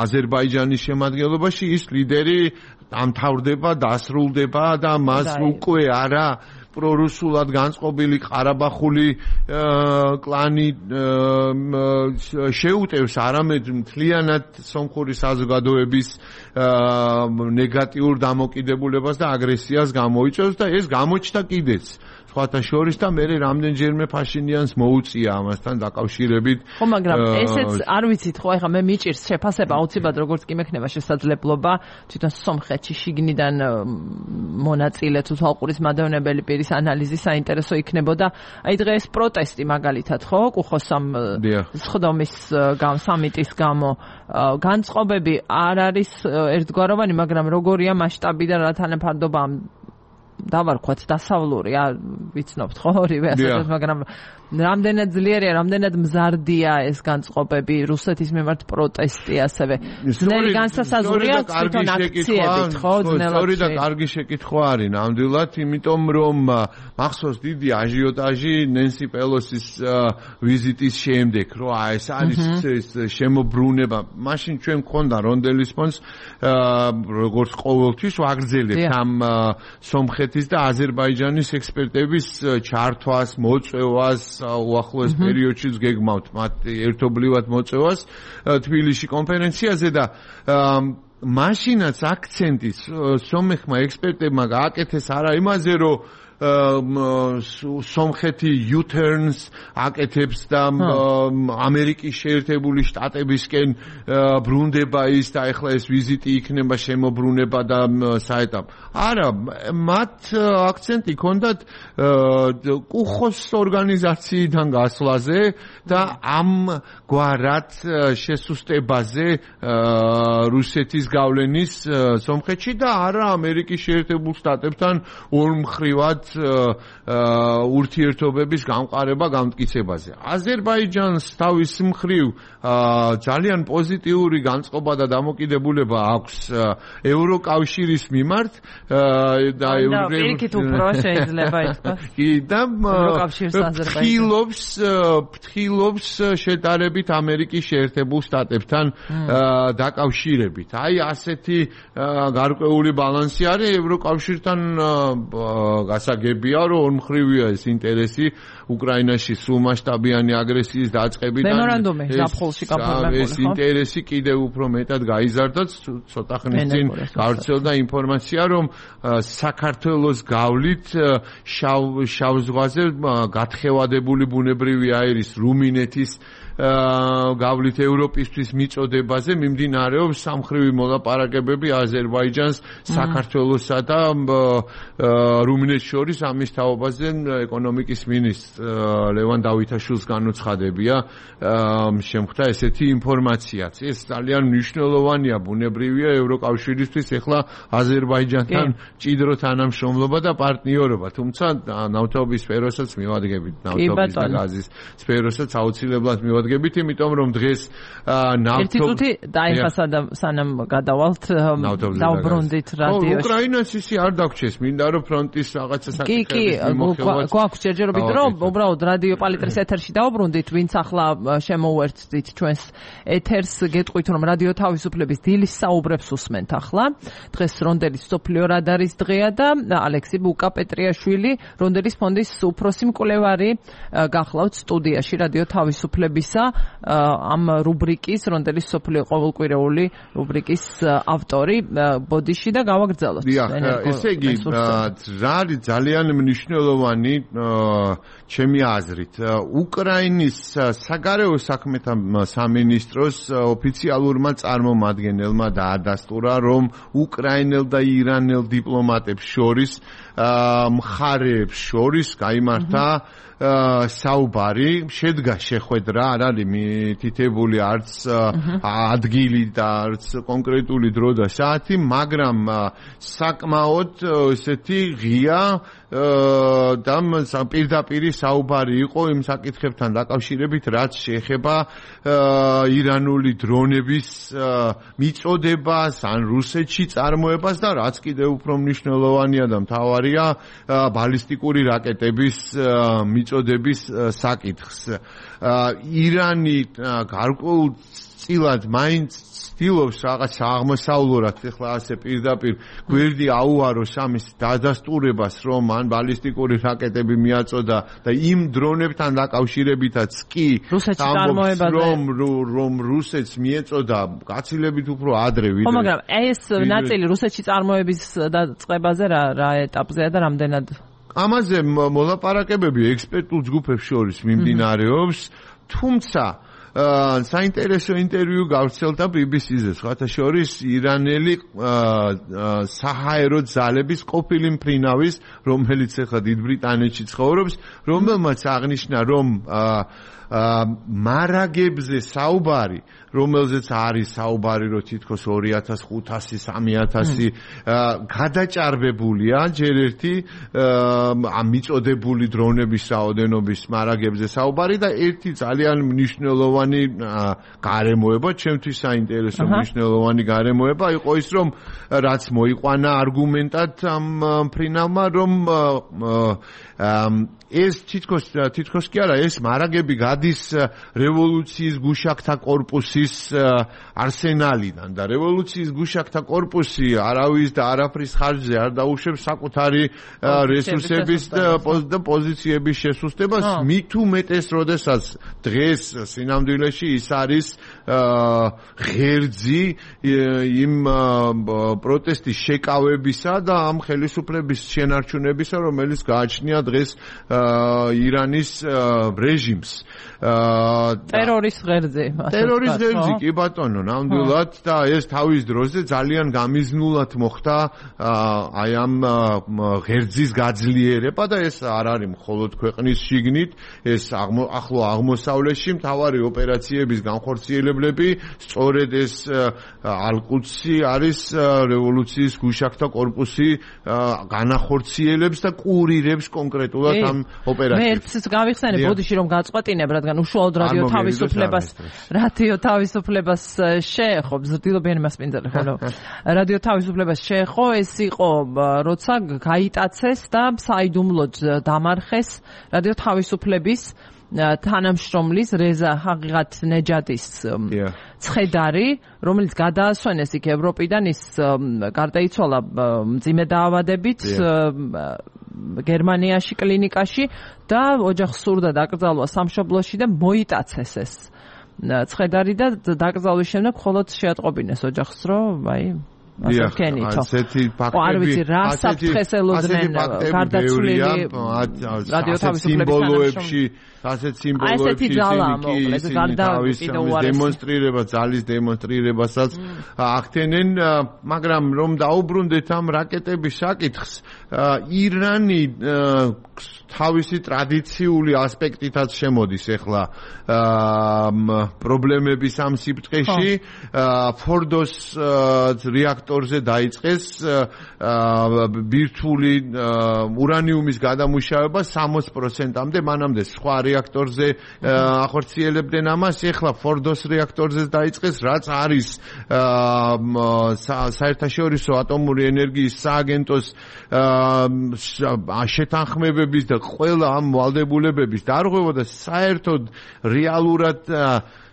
აზერბაიჯანის შემადგენლობაში, ის ლიდერი დამთავრდება, დასრულდება და მას უკვე არა პრორუსულად განწყობილი ყარაბახული კლანი შეუტევს, არამედ მთლიანად სომხური საზოგადოების ნეგატიურ დამოკიდებულებას და აგრესიას გამოიწვევს და ეს გამოჩნდა კიდეც სხვათა შორის და მე რამდენჯერმე ფაშინიანს მოუწია ამასთან დაკავშირებით. ხო, მაგრამ ესეც არ ვიცით, ხო, ეხლა მე მიჭირს შეფასება აუცილებლად როგორც კი მექნება შესაძლებლობა თვითონ სომხეთში შიგნიდან მონაწილე თუ თვალყურის მადევნებელი პირის ანალიზი საინტერესო იქნებოდა. აი დღეს პროტესტი მაგალითად, ხო, კუხოსამ სხდომის სამიტის გამო განწყობები არ არის ერთგვაროვანი, მაგრამ როგორია მასშტაბი და რა თანაფარდობა დავარქვათ დასავლური, ვიცნობთ ხო ორივე ასეთად, მაგრამ რამდენად ძლიერია, რამდენად მზარდია ეს განწყობები, რუსეთის მიმართ პროტესტი ასევე. ძნელი განსასაზღვრია თვითონ აქციებით, ხო, ძნელად. სწორი და კარგი შეკითხვა არის ნამდვილად, იმიტომ რომ მახსოვს დიდი აჟიოტაჟი ნენსი პელოსის ვიზიტის შემდეგ, რომ აი ეს არის ეს შემოbrunება. მაშინ ჩვენ გქონდა რონდელის ფონს როგორც ყოველთვის ვაგრძელებთ ამ სომხეთის და აზერბაიჯანის ექსპერტების ჩართვას, მოწვევას უახლოეს პერიოდშიც გეგმავთ მათ ერთობლივად მოწევას თბილისში კონფერენციაზე და მაშინაც აქცენტი სომეხმა ექსპერტებმა გააკეთეს არა იმაზე, რომ სომხეთი U-turns აკეთებს და ამერიკის შეერთებული შტატებისკენ ბრუნდება ის და ეხლა ეს ვიზიტი იქნება შემოbrunება და საეტაპ. არა, მათ აქცენტი ჰქონდათ კუხოს ორგანიზაციიდან გასვლაზე და ამგვარად შესუსტებაზე რუსეთის გავლენის სომხეთში და არა ამერიკის შეერთებულ შტატებთან ორმხრივად ურთიერთობების გამყარება გამტკიცებაზე. აზერბაიჯანს თავის მხრივ ძალიან პოზიტიური განწყობა და დამოკიდებულება აქვს ევროკავშირის მიმართ და ევროპის უფრო შეიძლება ითქვას. კი და ფრთხილობს ფრთხილობს შედარებით ამერიკის შეერთებულ შტატებთან დაკავშირებით. აი ასეთი გარკვეული ბალანსი არის ევროკავშირთან გასაგებია, რომ ორმხრივია ეს ინტერესი უკრაინაში სულ მასშტაბიანი აგრესიის დაწყებიდან. მემორანდუმი ზაფხულში გაფორმებული, ეს ინტერესი კიდევ უფრო მეტად გაიზარდა, ცოტა ხნის წინ გავრცელდა ინფორმაცია, რომ საქართველოს გავლით შავ ზღვაზე გათხევადებული ბუნებრივი აირის რუმინეთის გავლით ევროპისთვის მიწოდებაზე მიმდინარეობს სამხრივი მოლაპარაკებები აზერბაიჯანს, საქართველოსა და რუმინეთს შორის ამის თაობაზე ეკონომიკის მინისტრ ლევან დავითაშვილს განუცხადებია შემხვდა ესეთი ინფორმაციაც. ეს ძალიან მნიშვნელოვანია, ბუნებრივია ევროკავშირისთვის ეხლა აზერბაიჯანთან მჭიდრო თანამშრომლობა და პარტნიორობა, თუმცა ნავთობის სფეროსაც მივადგებით, ნავთობის და გაზის სფეროსაც აუცილებლად მივადგებით წარდგებით, იმიტომ რომ დღეს ნავთობ ერთი წუთი დაიხასა და სანამ გადავალთ დავბრუნდით რადიოში. უკრაინას ისი არ დაგვრჩეს, მინდა რომ ფრონტის რაღაცა საკითხების მიმოხილვაც. კი, კი, გვაქვს ჯერჯერობით რომ უბრალოდ რადიო პალიტრის ეთერში დავბრუნდით, ვინც ახლა შემოუერთდით ჩვენს ეთერს, გეტყვით რომ რადიო თავისუფლების დილის საუბრებს უსმენთ ახლა. დღეს რონდელის სოფლიო რადარის დღეა და ალექსი ბუკა პეტრიაშვილი, რონდელის ფონდის უფროსი მკვლევარი გახლავთ სტუდიაში რადიო თავისუფლებისა ამ რუბრიკის რონდელის სოფლიო ყოველკვირეული რუბრიკის ავტორი. ბოდიში და გავაგრძელოთ. ესე იგი, რა არის ძალიან მნიშვნელოვანი ჩემი აზრით, უკრაინის საგარეო საქმეთა სამინისტროს ოფიციალურმა წარმომადგენელმა დაადასტურა, რომ უკრაინელ და ირანელ დიპლომატებს შორის მხარეებს შორის გაიმართა საუბარი, შედგა შეხვედრა, არ არის მითითებული არც ადგილი და არც კონკრეტული დრო და საათი, მაგრამ საკმაოდ ესეთი ღია და პირდაპირი საუბარი იყო იმ საკითხებთან დაკავშირებით, რაც შეეხება ირანული დრონების მიწოდებას, ან რუსეთში წარმოებას და რაც კიდევ უფრო მნიშვნელოვანია და მთავარია, ბალისტიკური რაკეტების მიწოდების საკითხს. ირანი გარკვეულწილად მაინც ცდილობს რაღაც აღმოსავლურად ეხლა ასე პირდაპირ გვერდი აუაროს ამის დადასტურებას, რომ ან ბალისტიკური რაკეტები მიაწოდა და იმ დრონებთან დაკავშირებითაც კი ამბობს, რომ რომ რუსეთს მიეწოდა გაცილებით უფრო ადრე ვიდრე. ხო, მაგრამ ეს ნაწილი რუსეთში წარმოების დაწყებაზე რა რა ეტაპზეა და რამდენად? ამაზე მოლაპარაკებები ექსპერტულ ჯგუფებს შორის მიმდინარეობს, თუმცა საინტერესო ინტერვიუ გავრცელდა ბი ბი სი-ზე, სხვათა შორის ირანელი საჰაერო ძალების ყოფილი მფრინავის, რომელიც ახლა დიდ ბრიტანეთში ცხოვრობს, რომელმაც აღნიშნა, რომ მარაგებზე საუბარი, რომელზეც არის საუბარი, რომ თითქოს ორი ათას ხუთასი სამი ათასი გადაჭარბებულია ჯერ ერთი მიწოდებული დრონების რაოდენობის მარაგებზე საუბარი და ერთი ძალიან მნიშვნელოვანი გარემოება, ჩემთვის საინტერესო მნიშვნელოვანი გარემოება იყო ის, რომ რაც მოიყვანა არგუმენტად ამ მფრინავმა, რომ ეს თითქოს თითქოს კი არა, ეს მარაგები გადის რევოლუციის გუშაკთა კორპუსის არსენალიდან და რევოლუციის გუშაკთა კორპუსი არავის და არაფრის ხარჯზე არ დაუშვებს საკუთარი რესურსების და პოზიციების შესუსტებას, მით უმეტეს, როდესაც დღეს სინამდვილეში ის არის ღერძი იმ პროტესტის შეკავებისა და ამ ხელისუფლების შენარჩუნებისა, რომელიც გააჩნია დღეს ირანის რეჟიმს. ტერორის ღერძი. ტერორის ღერძი, კი ბატონო, ნამდვილად და ეს თავის დროზე ძალიან გამიზნულად მოხდა აი ამ ღერძის გაძლიერება და ეს არ არის მხოლოდ ქვეყნის შიგნით, ეს ახლო აღმოსავლეთში მთავარი ოპერაციების განხორციელებლები, სწორედ ეს ალ-კუდსი არის რევოლუციის გუშაკთა კორპუსი განახორციელებს და კურირებს კონკრეტულად ამ ოპერაციებს. მე გავიხსენებ, ბოდიში რომ გაწყვეტინებ, რადგან უშუალოდ რადიო თავისუფლებას რადიო თავისუფლებას შეეხო, ზრდილობიანი მასპინძელი ხოლო. რადიო თავისუფლებას შეეხო, ეს იყო როცა გაიტაცეს და საიდუმლოდ დამარხეს რადიო თავისუფლების თანამშრომლის რეზა ჰაღიღათ ნეჯადის ცხედარი, რომელიც გადაასვენეს იქ ევროპიდან, ის გარდაიცვალა მძიმე დაავადებით გერმანიაში კლინიკაში და ოჯახს სურდა დაკრძალვა სამშობლოში და მოიტაცეს ეს ცხედარი და დაკრძალვის შემდეგ მხოლოდ შეატყობინეს ოჯახს, რომ აი ასეთი ფაქტები, ასეთი გარდაცვლილი რადიო თავისუფლების ასეთ სიმბოლოებში დემონსტრირება, ძალის დემონსტრირებასაც ახდენენ, მაგრამ რომ დაუბრუნდეთ ამ რაკეტების საკითხს, ირანი თავისი ტრადიციული ასპექტითაც შემოდის ახლა პრობლემების ამ სიბრტყეში, ფორდოს რეაქტორი რეაქტორზე დაიწყეს ბირთვული ურანიუმის გადამუშავება სამოცი პროცენტამდე, მანამდე სხვა რეაქტორზე ახორციელებდნენ ამას, ეხლა ფორდოს რეაქტორზე დაიწყეს, რაც არის საერთაშორისო ატომური ენერგიის სააგენტოს შეთანხმებების და ყველა ამ ვალდებულებების დარღვევა და საერთოდ რეალურად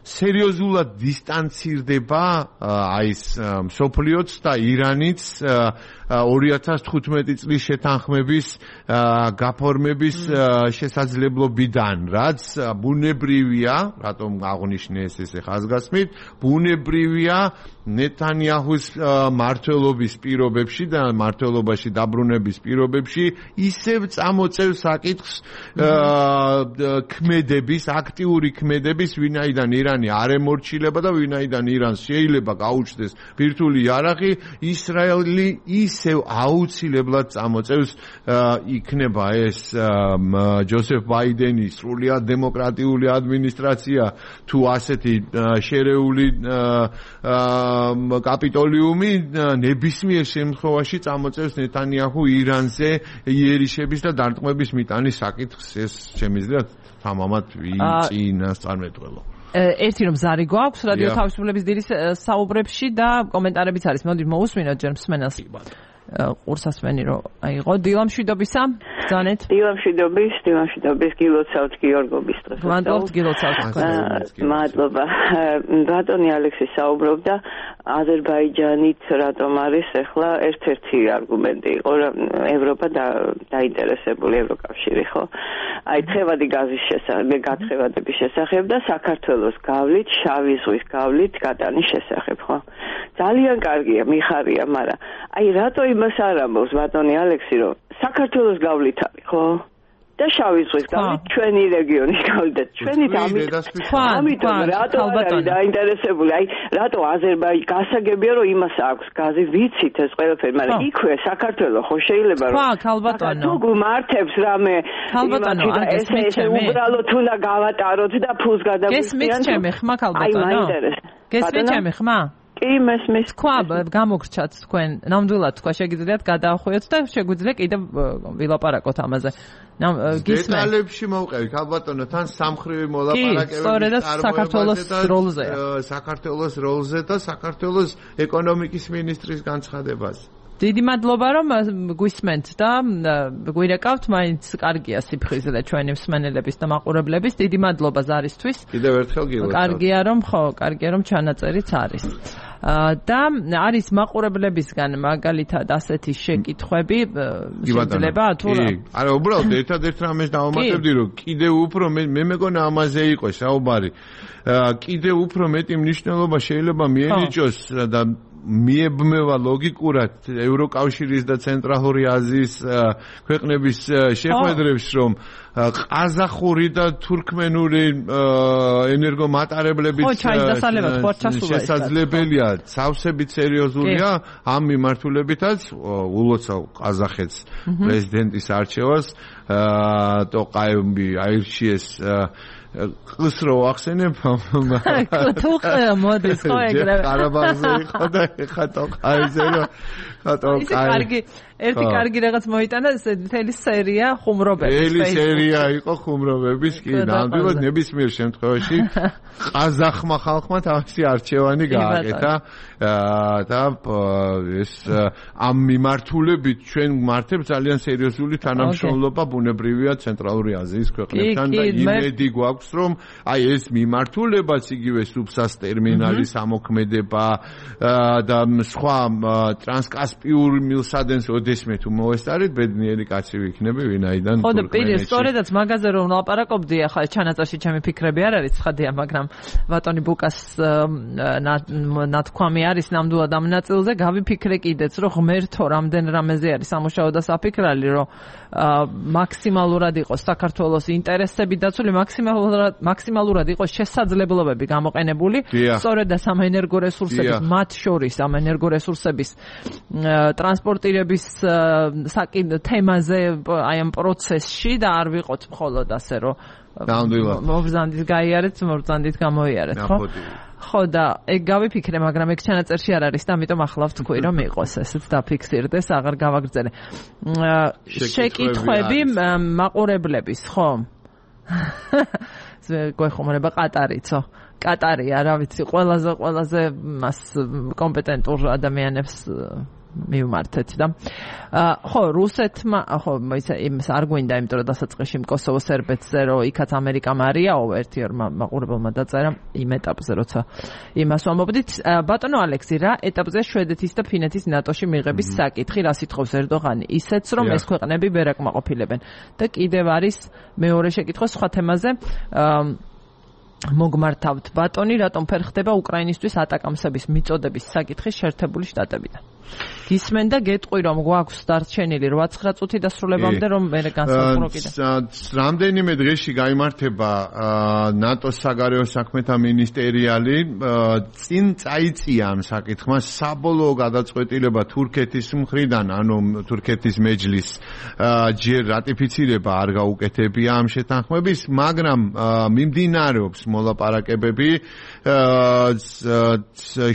სერიოზულად დისტანცირდება აი ეს მსოფლიოც და ირანიც ორი ათას თხუთმეტი წლის შეთანხმების გაფორმების შესაძლებლობიდან, რაც ბუნებრივია, რატომ აღნიშნეს ესე ხაზგასმით, ბუნებრივია ნეტანიაჰუს მმართველობის პირობებში და მმართველობაში დაბრუნების პირობებში ისევ წამოწევს საკითხს ქმედების, აქტიური ქმედების, ვინაიდან ირანი არ ემორჩილება და ვინაიდან ირანს შეიძლება გაუჩნდეს ბირთვული იარაღი, ისრაელი ისევ აუცილებლად წამოწევს იქნება ეს ჯოსეფ ბაიდენის სრულიად დემოკრატიული ადმინისტრაცია თუ ასეთი შერეული კაპიტოლიუმი ნებისმიერ შემთხვევაში წამოწევს ნეტანიაჰუ ირანზე იერიშების და დარტყმების მიტანის საკითხს. ეს შემიძლია თამამად ვიწინასწარმეტყველო. ერთი რომ ზარი გვაქვს რადიო თავისუფლების დილის საუბრებში და კომენტარებიც არის. მოდით მოусმინოთ ჯერ მსმენელს. ყურსასმენი რომ აიღო დილამშვიდობისა ბრძანეთ. დილამშვიდობის, დილამშვიდობის გილოცავთ გიორგობის დღეს. მადლობთ გილოცავთ. მადლობა. ბატონი ალექსი საუბრობდა აზერბაიჯანით რატომ არის ახლა ერთ-ერთი არგუმენტი იყო რომ ევროპა დაინტერესებული ევროკავშირი ხო? აი თხევადი გაზის შესახებ, გათხევადების შესახებ და საქართველოს გავლით, შავი ზღვის გავლით გატანის შესახებ ხო? ძალიან კარგია, მიხარია, მაგრამ აი რატო იმას არ ამბობს ბატონი ალექსი რომ საქართველოს გავლით არის ხო? და შავი ზღვის გავლით ჩვენი რეგიონის გავლით და ჩვენი ამიტომ რატო არის დაინტერესებული? აი რატო აზერბაიჯანი გასაგებია რომ იმას აქვს გაზი, ვიცით ეს ყველაფერი, მაგრამ იქვე საქართველოს ხო შეიძლება რომ თუ გმართებს რამე ქალბატონო ეს ეს უბრალოდ უნდა გავატაროთ და ფულს გადაგვიწიან. გესმის ჩემი ხმა ქალბატონო? გესმის ჩემი ხმა? კი მესმის. თქვა გამოგრჩათ თქვენ ნამდვილად თქვა შეგიძლიათ გადაახვიოთ და შეგვიძლია კიდევ ვილაპარაკოთ ამაზე. დეტალებში მოვყევი ქალბატონო, თან სამხრივი მოლაპარაკებები სწორედ საქართველოს როლზე საქართველოს როლზე და საქართველოს ეკონომიკის მინისტრის განცხადებაზე. დიდი მადლობა რომ გვისმენთ და გვირეკავთ, მაინც კარგია სიფხიზლე ჩვენი მსმენელების და მაყურებლების. დიდი მადლობა ზარისთვის. კიდევ ერთხელ გილოცავთ. კარგია რომ ხო, კარგია რომ ჩანაწერიც არის. და არის მაყურებლებისგან მაგალითად ასეთი შეკითხვები შეიძლება თუ რა? არა, უბრალოდ ერთადერთ რამეს დავამატებდი რომ კიდევ უფრო მე მეგონა ამაზე იყო საუბარი. კიდევ უფრო მეტი მნიშვნელობა შეიძლება მიენიჭოს და მიებმევა ლოგიკურად ევროკავშირის და ცენტრალური აზიის ქვეყნების შეხვედრებს, რომ ყაზახური და თურქმენური ენერგომატარებლების შესაძლებელია სავსებით სერიოზულია ამ მიმართულებითაც ულოცავ ყაზახეთს პრეზიდენტის არჩევას ტოყაევი აირჩიეს ყს რო ახსენებ თუ მოდის ხო ეგრე ყარაბაღზე იყო და ეხა ტოყაევზე რო ტოყაევი ერთი კარგი რაღაც მოიტანა მთელი სერია ხუმრობების. მთელი სერია იყო ხუმრობების, კი, ნამდვილად ნებისმიერ შემთხვევაში ყაზახმა ხალხმა თავისი არჩევანი გააკეთა და ეს ამ მიმართულებით ჩვენ მართებს ძალიან სერიოზული თანამშრომლობა ბუნებრივია ცენტრალური აზიის ქვეყნებთან და იმედი გვაქვს რომ აი ეს მიმართულებაც იგივე სუბსას ტერმინალის ამოქმედება და სხვა ტრანსკასპიურ მილსადენს ოდესმე თუ მოესწარით ბედნიერი კაცი ვიქნები ვინაიდან ხო და პირი სწორედაც მაგაზე რომ ვლაპარაკობდი ახლა ჩანაწერში ჩემი ფიქრები არ არის ცხადია მაგრამ ბატონი ბუკას ნათქვამი არის ნამდვილად ამ ნაწილზე გავიფიქრე კიდეც რომ ღმერთო რამდენ რამეზე არის სამუშაო და საფიქრალი რომ მაქსიმალურად იყოს საქართველოს ინტერესები დაცული მაქსიმალურად მაქსიმალურად იყოს შესაძლებლობები გამოყენებული სწორედ და სამენერგო რესურსების მათ შორის ამ ენერგო რესურსების ტრანსპორტირების საკითხ თემაზე აი ამ პროცესში და არ ვიყოთ მხოლოდ ასე რომ ნამდვილად. მობრძანდით გაიარეთ, მობრძანდით გამოიარეთ, ხო? ხო და ეგ გავიფიქრე, მაგრამ ეგ ჩანაწერში არ არის და ამიტომ ახლა ვთქვი რომ იყოს ესეც დაფიქსირდეს, აღარ გავაგრძელე. შეკითხვები მაყურებლების, ხო? გვეხმარება ყატარიცო. კატარია, რა ვიცი, ყველაზე ყველაზე მას კომპეტენტურ ადამიანებს მივმართეთ და ხო, რუსეთმა, ხო, ისე იმს არ გვინდა, იმიტომ რომ დასაწყისში კოსოვო სერბეთზე რომ იქაც ამერიკამ არიაო, ერთი ორ მაყურებელმა დაწერა იმ ეტაპზე, როცა იმას ვამბობდით. ბატონო ალექსი, რა ეტაპზე შვედეთის და ფინეთის ნატოში მიღების საკითხი, რა სიტყავს ერდოღანი? ისეც რომ ეს ქვეყნები ვერ აკმაყოფილებენ. და კიდევ არის მეორე შეკითხვა სხვა თემაზე. მოგმართავთ ბატონი, რატომ ფერ ხდება უკრაინისთვის ატაკამსების მიწოდების საკითხი შეერთებული შტატებიდან? გისმენ და გეტყვი რომ გვაქვს დარჩენილი რვა-ცხრა წუთი დასრულებამდე რომ მე განსაკუთრებულად კიდე. რამდენიმე დღეში გაიმართება ნატოს საგარეო საქმეთა მინისტერიალი, წინ წაიწია ამ საკითხმა საბოლოო გადაწყვეტილება თურქეთის მხრიდან, ანუ თურქეთის მეჯლის ჯერ რატიფიცირება არ გაუკეთებია ამ შეთანხმების, მაგრამ მიმდინარეობს მოლაპარაკებები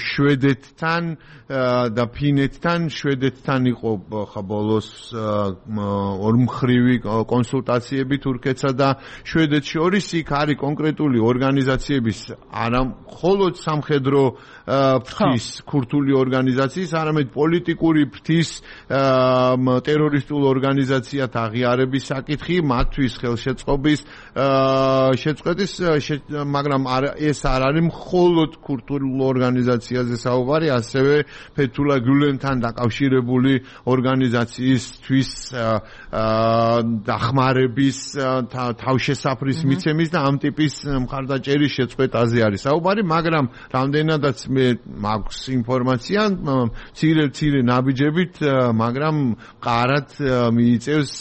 შვედეთთან და ფინეთთან. შვედეთთან იყო ხა ბოლოს ორმხრივი კონსულტაციები თურქეთსა და შვედეთს შორის. იქ არის კონკრეტული ორგანიზაციების, არა მხოლოდ სამხედრო ფრთის ქურთული ორგანიზაციის, არამედ პოლიტიკური ფრთის ტერორისტულ ორგანიზაციათ აღიარების საკითხი, მათთვის ხელშეწყობის შეწყვეტის, მაგრამ ეს არ არის მხოლოდ ქურთულ ორგანიზაციაზე საუბარი, ასევე ფეთულა გულენთან დაკავშირებული ორგანიზაციისთვის დახმარების თავშესაფრის მიცემის და ამ ტიპის მხარდაჭერის შეწყვეტაზე არის საუბარი, მაგრამ რამდენადაც მე მაქვს ინფორმაცია, მცირე-მცირე ნაბიჯებით, მაგრამ ყარად მიიწევს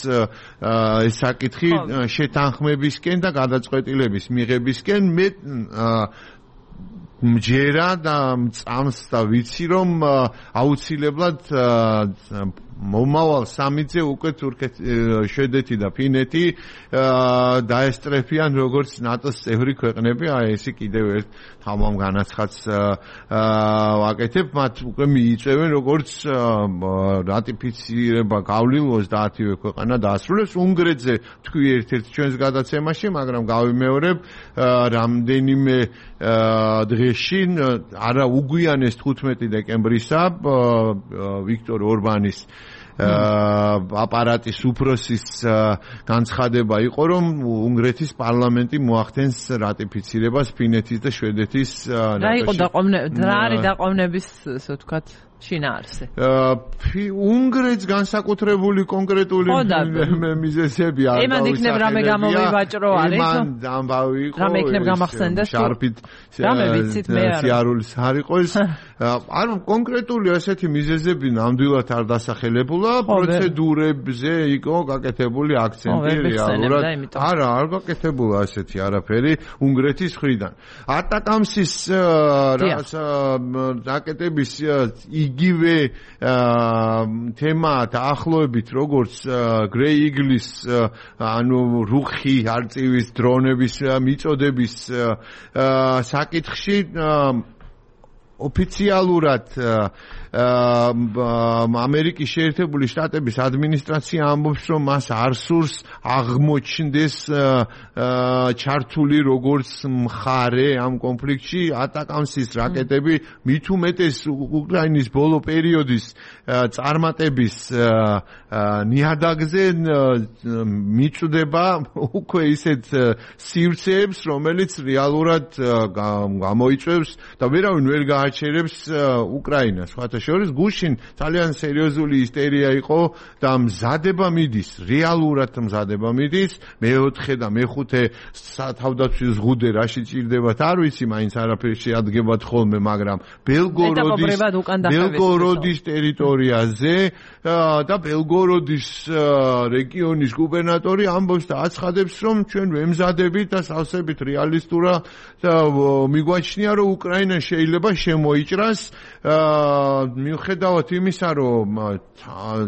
ეს საკითხი შეთანხმებისკენ და გადაწყვეტილების მიღებისკენ. მე მჯერა და მწამს და ვიცი რომ აუცილებლად მომავალ სამიძე უკვე თურქეთ, შვედეთი და ფინეთი დაესწრებიან როგორც ნატოს წევრი ქვეყნები. აი ესე კიდევ ერთ თამამ განაცხადს ვაკეთებ, მათ უკვე მიიწევენ როგორც რატიფიცირება გავლილ ოცდაათივე ქვეყანა დაასრულებს. უნგრეთზე თქვი ერთ-ერთ ჩვენს გადაცემაში, მაგრამ გავიმეორებ რამდენიმე დღეში, არა უგვიანეს თხუთმეტი დეკემბრისა ვიქტორ ორბანის აპარატის უფროსის განცხადება იყო, რომ უნგრეთის პარლამენტი მოახდენს რატიფიცირებას ფინეთის და შვედეთის. რა იყო დაყოვნების, რა არის დაყოვნების, ასე ვთქვათ, შინაარსი? უნგრეთს განსაკუთრებული კონკრეტული მიზეზები არ იმან იქნებ რამე გამოვივაჭრო არის? იმან ამბავი იყო. რამე იქნებ გამახსენდეს? შარფით რამე ვიცით მე არ. სიარულის არ იყოს. არ კონკრეტული ასეთი მიზეზები ნამდვილად არ დასახელებულა, პროცედურებზე იყო გაკეთებული აქცენტი რეალურად. არა, არ გაკეთებულა ასეთი არაფერი უნგრეთის მხრიდან. ატაკამსის რაკეტების იგივე თემა დაახლოებით როგორც გრეი იგლის, ანუ რუხი არწივის დრონების მიწოდების საკითხში ოფიციალურად ამერიკის შეერთებული შტატების ადმინისტრაცია ამბობს, რომ მას არ სურს აღმოჩნდეს ჩართული როგორც მხარე ამ კონფლიქტში ატაკამსის რაკეტები, მით უმეტეს უკრაინის ბოლო პერიოდის წარმატების ნიადაგზე მიწვდება უკვე ისეთ სივრცეებს, რომელიც რეალურად გამოიწვევს და ვერავინ ვერ გააჩერებს უკრაინას. შორის გუშინ ძალიან სერიოზული ისტერია იყო და მზადება მიდის, რეალურად მზადება მიდის. მეოთხე და მეხუთე თავდაცვის ზღუდე რაში ჭირდებათ არ ვიცი, მაინც არაფერი შეადგებათ ხოლმე, მაგრამ ბელგოროდის ბელგოროდის ტერიტორიაზე და ბელგოროდის რეგიონის გუბერნატორი ამბობს და აცხადებს, რომ ჩვენ ვემზადებით და სავსებით რეალისტურად მიგვაჩნია, რომ უკრაინა შეიძლება მოიჭრას მიუხედავად იმისა, რომ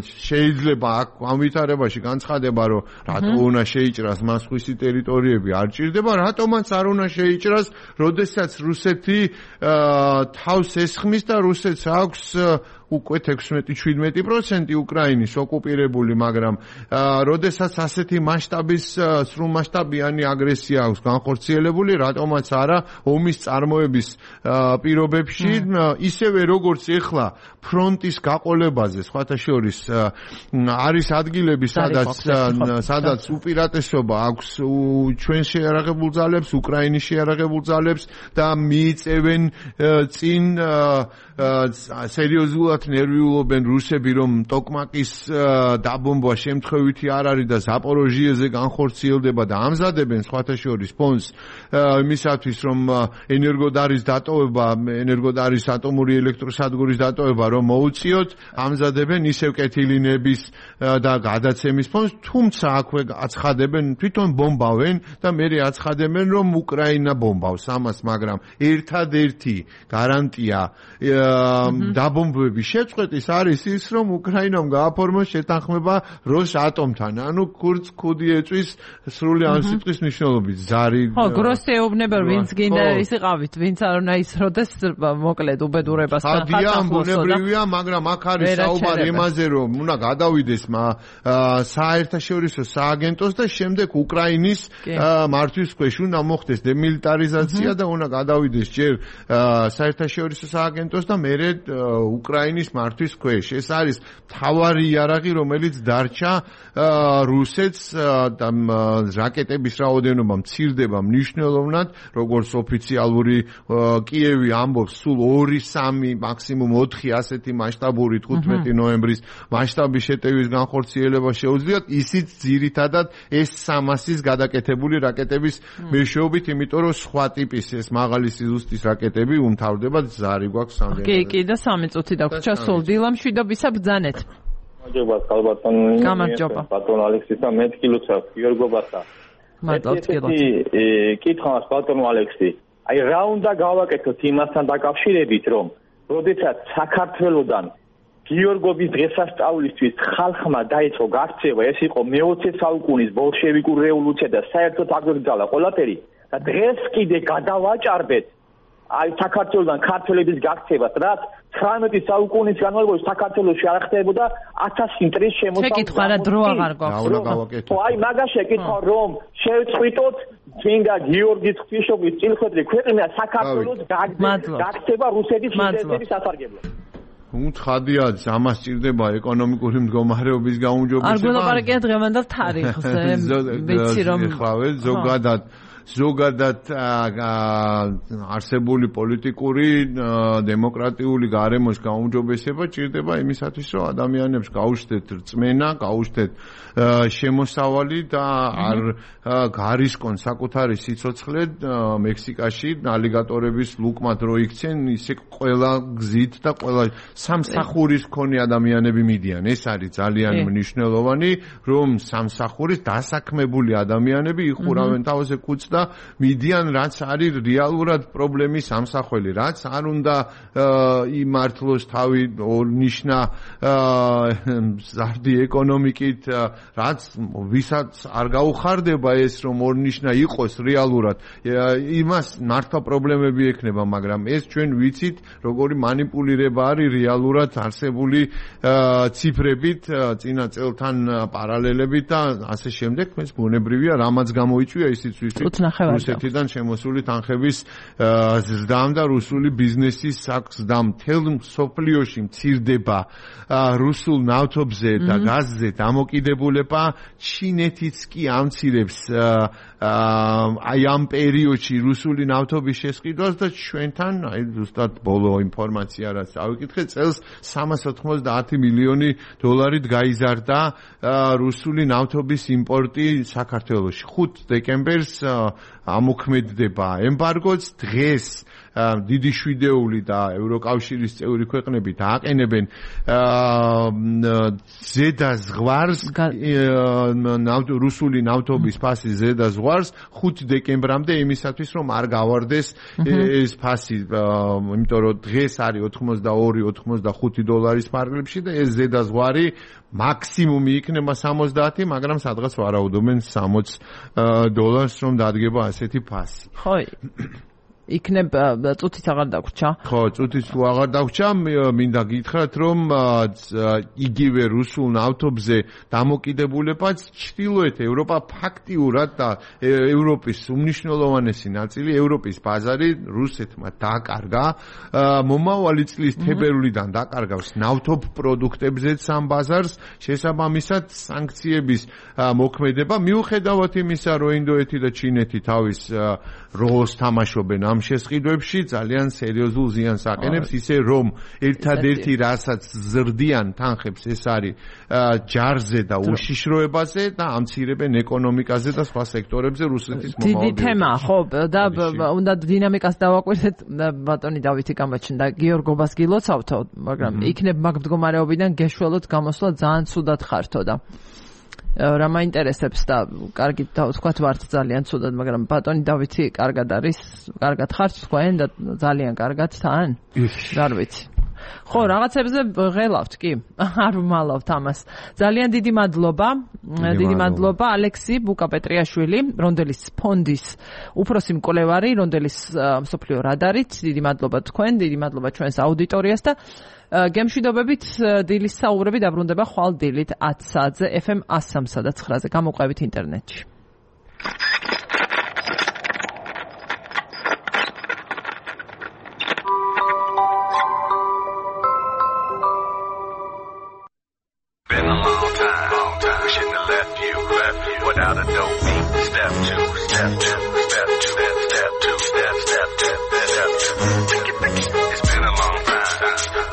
შეიძლება აქ ამ ვითარებაში განცხადება, რომ რატო უნდა შეიჭრას მას სხვისი ტერიტორიები არ ჭირდება, რატომაც არ უნდა შეიჭრას, როდესაც რუსეთი თავს ესხმის და რუსეთს აქვს უკვე ექვსმეტი შვიდმეტი პროცენტი უკრაინის ოკუპირებული, მაგრამ როდესაც ასეთი მასშტაბის სრულმასშტაბიანი აგრესია აქვს განხორციელებული, რატომაც არა ომის წარმოების პირობებში, ისევე როგორც ეხლა ფრონტის გაყოლებაზე, სხვათა შორის არის ადგილები, სადაც სადაც უპირატესობა აქვს ჩვენ შეიარაღებულ ძალებს, უკრაინის შეიარაღებულ ძალებს და მიიწევენ წინ სერიოზულად ნერვიულობენ რუსები, რომ ტოკმაკის დაბომბვა შემთხვევითი არ არის და ზაპოროჟიეზე განხორციელდება და ამზადებენ სხვათა შორის ფონს იმისათვის, რომ ენერგოდარის დატოვება, ენერგოდარის ატომური ელექტროსადგურის დატოვება რომ მოუწიოთ, ამზადებენ ისევ კეთილინების და გადაცემის ფონს, თუმცა აქვე აცხადებენ, თვითონ ბომბავენ და მერე აცხადებენ, რომ უკრაინა ბომბავს ამას, მაგრამ ერთადერთი გარანტია დაბომბვების შეწყვეტის არის ის, რომ უკრაინამ გააფორმოს შეთანხმება როს ატომთან, ანუ კურც ქუდი ეწვის სრული ამ სიტყვის მნიშვნელობით, ზარი. ხო, გროსი ეუბნება, ვინც გინდა ის იყავით, ვინც არ უნდა ისროდეს, მოკლედ უბედურებასთან ხატახლოსო. ბუნებრივია, მაგრამ აქ არის საუბარი იმაზე, რომ უნდა გადავიდეს საერთაშორისო სააგენტოს და შემდეგ უკრაინის მართვის ქვეშ უნდა მოხდეს დემილიტარიზაცია და უნდა გადავიდეს ჯერ საერთაშორისო სააგენტოს და მერე უკრაინის მართვის ქვეშ. ეს არის მთავარი იარაღი, რომელიც დარჩა რუსეთს და რაკეტების რაოდენობა მცირდება მნიშვნელოვნად, როგორც ოფიციალური კიევი ამბობს, სულ ორი სამი მაქსიმუმ ოთხი ასეთი მასშტაბური თხუთმეტი ნოემბრის მასშტაბის შეტევის განხორციელება შეუძლიათ, ისიც ძირითადად ეს სამასის გადაკეთებული რაკეტების მეშვეობით, იმიტომ რომ სხვა ტიპის ეს მაღალი სიზუსტის რაკეტები უმთავრდება, ზარი გვაქვს სამდენ. კი, კი და სამი წუთი დაგვრჩა სულ დილამშვიდობისა ბრძანეთ. გამარჯობა, ხალბატონი. გამარჯობა. ბატონ ალექსისა, მე თკილოცა, გიორგობასა. მადლობთ, თკილოცა. კითხავს ბატონო ალექსი. აი რა უნდა გავაკეთოთ იმასთან დაკავშირებით, რომ როდესაც საქართველოსდან გიორგობის დღესასწაულისთვის ხალხმა დაიწყო გაქცევა, ეს იყო მეოცე საუკუნის ბოლშევიკური რევოლუცია და საერთოდ აგრძალა ყველაფერი და დღეს კიდე გადავაჭარბეთ აი საქართველოსდან ქართველების გაქცევას, რაც ცხრამეტი საუკუნის განმავლობაში საქართველოში არ ხდებოდა ათასი მტრის შემოსავლის. შეკითხვა რა დრო აღარ გვაქვს. ხო, აი მაგას შეკითხვა, რომ შევწყვიტოთ წმინდა გიორგის ღვთისმშობლის წილხვედრი ქვეყნა საქართველოს გაქცევა რუსეთის ინტერესების სასარგებლოდ. უცხადია, ამას ჭირდება ეკონომიკური მდგომარეობის გაუმჯობესება. არ გველაპარაკია დღევანდელ თარიღზე, ვიცი რომ ეხლავე ზოგადად ზოგადად არსებული პოლიტიკური დემოკრატიული გარემოს გაუმჯობესება ჭირდება იმისათვის, რომ ადამიანებს გაუჩნდეთ რწმენა, გაუჩნდეთ შემოსავალი და არ გარისკონ საკუთარი სიცოცხლე მექსიკაში ალიგატორების ლუკმად რო იქცენ, ისე ყველა გზით და ყველა სამსახურის მქონე ადამიანები მიდიან. ეს არის ძალიან მნიშვნელოვანი, რომ სამსახურის დასაქმებული ადამიანები იხურავენ თავზე კუც და მიდიან, რაც არის რეალურად პრობლემის სამსახველი, რაც არ უნდა იმართლოს თავი ორნიშნა ზარდი ეკონომიკით, რაც ვისაც არ გაუხარდება ეს, რომ ორნიშნა იყოს რეალურად, იმას მართლა პრობლემები ექნება, მაგრამ ეს ჩვენ ვიცით, როგორი манипуლირება არის რეალურად არსებული ციფრებით, წინა წელთან პარალელებით და ასე შემდეგ. ეს ბუნებრივია, რამაც გამოიწვია ისიც ვიცით. რუსეთიდან შემოსული თანხების ზრდამ და რუსული ბიზნესის ზრდამ მთელ მსოფლიოში მცირდება რუსულ ნავთობზე და გაზზე დამოკიდებულება. ჩინეთიც კი ამცირებს აი ამ პერიოდში რუსული ნავთობის შესყიდვას და ჩვენთან აი ზუსტად ბოლო ინფორმაცია რაც ავიკითხე, წელს სამას ოთხმოცდაათი მილიონი დოლარით გაიზარდა რუსული ნავთობის იმპორტი საქართველოში. ხუთ დეკემბერს ამოქმედდება ემბარგოც, დღეს დიდი შვიდეული და ევროკავშირის წევრი ქვეყნები დააყენებენ ზედა ზღვარს რუსული ნავთობის ფასი ზედა ზღვარს ხუთი დეკემბრამდე იმისათვის რომ არ გავარდეს ეს ფასი იმიტომ რომ დღეს არის ოთხმოცდაორი ოთხმოცდახუთი დოლარის ფარგლებში და ეს ზედა ზღვარი მაქსიმუმი იქნება სამოცდაათი, მაგრამ სადღაც ვარაუდობენ სამოცი დოლარს რომ დადგება ასეთი ფასი. ხო. იქნება წუთიც აღარ დაგვრჩა. ხო, წუთიც თუ აღარ დაგვრჩა, მინდა გითხრათ რომ იგივე რუსულ ნავთობზე დამოკიდებულებაც ჩრდილოეთ ევროპა ფაქტიურად და ევროპის უმნიშვნელოვანესი ნაწილი ევროპის ბაზარი რუსეთმა დაკარგა. მომავალი წლის თებერვლიდან დაკარგავს ნავთობ პროდუქტებზეც ამ ბაზარს, შესაბამისად სანქციების მოქმედება მიუხედავად იმისა, რომ ინდოეთი და ჩინეთი თავის როლს თამაშობენ ამ შესყიდვებში ძალიან სერიოზულ ზიანს აყენებს, ისე რომ ერთადერთი რასაც ზრდიან თანხებს ეს არის ჯარზე და უშიშროებაზე და ამცირებენ ეკონომიკაზე და სხვა სექტორებზე რუსეთის მომავალ. დიდი თემა, ხო, და უნდა დინამიკას დავაკვირდეთ, ბატონი დავითი გამაჩნდა გიორგობას გილოცავთო, მაგრამ იქნებ მაგ მდგომარეობიდან გეშველოთ გამოსვლა ძალიან ცუდად ხართო და რა მაინტერესებს და კარგი თქვათ ვართ ძალიან ცუდად, მაგრამ ბატონი დავითი კარგად არის, კარგად ხართ თქვენ და ძალიან კარგად თან? არ ვიცი. ხო, რაღაცებზე ღელავთ კი, არ ვმალავთ ამას. ძალიან დიდი მადლობა, დიდი მადლობა ალექსი ბუკაპეტრიაშვილი, რონდელის ფონდის უფროსი მკვლევარი, რონდელის მსოფლიო რადარით. დიდი მადლობა თქვენ, დიდი მადლობა ჩვენს აუდიტორიას და გემშვიდობებით დილის საუბრები დაბრუნდება ხვალ დილით ათი საათზე ეფ ემ one oh three და nine-ზე. გამოყვებით ინტერნეტში. Been a long time, long time. We shouldn't have left you, left you without a dope beat. Step two, step two, step two, step, step two, step, step, step, step two. It's been a long time.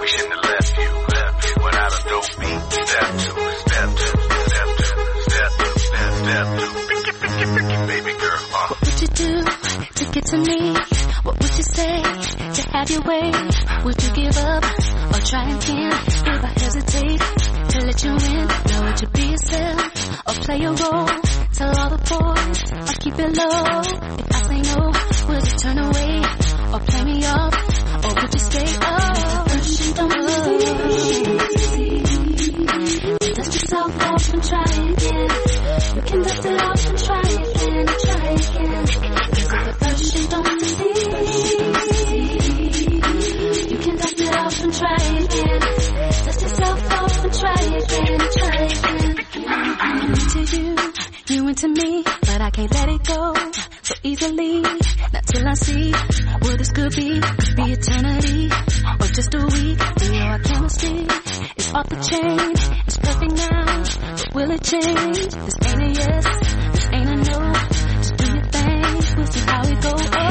We shouldn't have left you, left you without a dope beat. Step two, step two, step two, step two, step, step two. Picky, picky, picky, baby girl. Uh. What would you do to get to me? What would you say to have your way? Would you give up or try again? If I hesitate to let you in, now would you be yourself or play a role? Tell all the boys or keep it low. If I say no, would you turn away or play me off? Or would you stay up? Push and don't move. Dust yourself off and try again. You can dust it off and try again, try again. Cause if at first you don't see, you can dust it off and try again. Dust yourself off and try again, try again. I'm into you, you into me, but I can't let it go so easily. Not till I see what this could be. Could be eternity or just a week. You know our chemistry is off the chain. It's perfect now, but will it change? This ain't a yes, this ain't a no. Just do your thing, we'll see how it goes. Oh,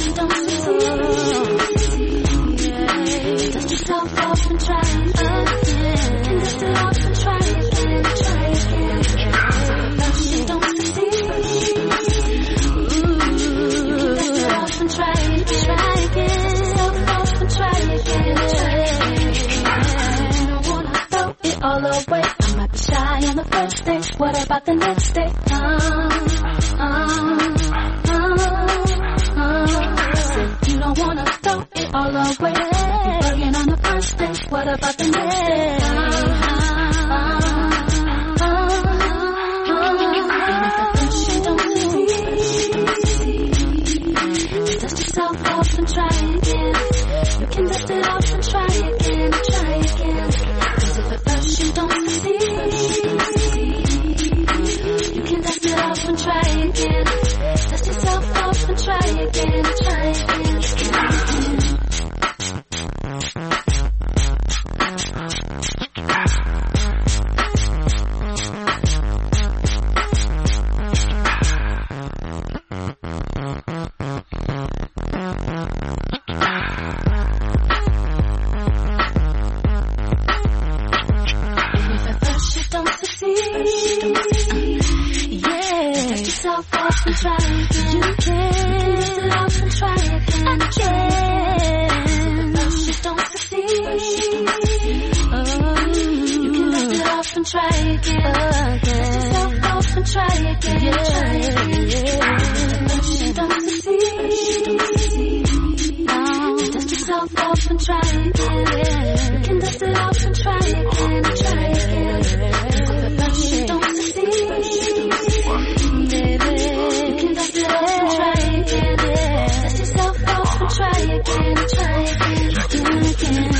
you don't see. Yeah. Dust yourself off and try again. You can dust it off and try again, try again. You don't see. And try again, try again. Self off and try again, try again. You don't wanna throw it all away. I might be shy on the first day. What about the next day? Uh, uh, uh, uh. Said you don't wanna throw it all away. You're bugging on the first day. What about the next day? Uh, uh, uh, Dust yourself off and try again. You can dust it off and try again, try again. Cause if at first you don't see, you can dust it off and try again. Dust yourself off and try again, try again. yourself off and try again. You can dust it off and try again, try again. But first you don't succeed, baby. You can dust it off and try again. Dust yourself off and try again, try again, do it again.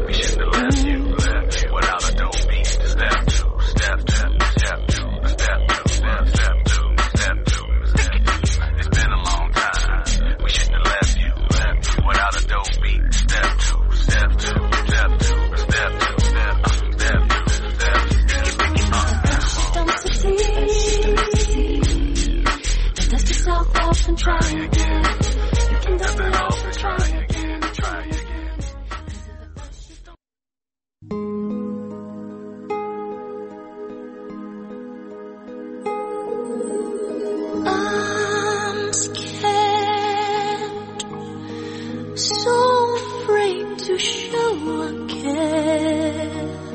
We shouldn't have left you, left you without a dope beat. Step two, step two, step two, step two, step, step two, step two, step two. It's been a long time. We shouldn't have left you, left you without a dope beat. Step two, step two, step two, step two, step two, step two, step two. Don't succeed. Dust yourself off and try again. You can dust it off and try again, try again. I'm scared, so afraid to show again.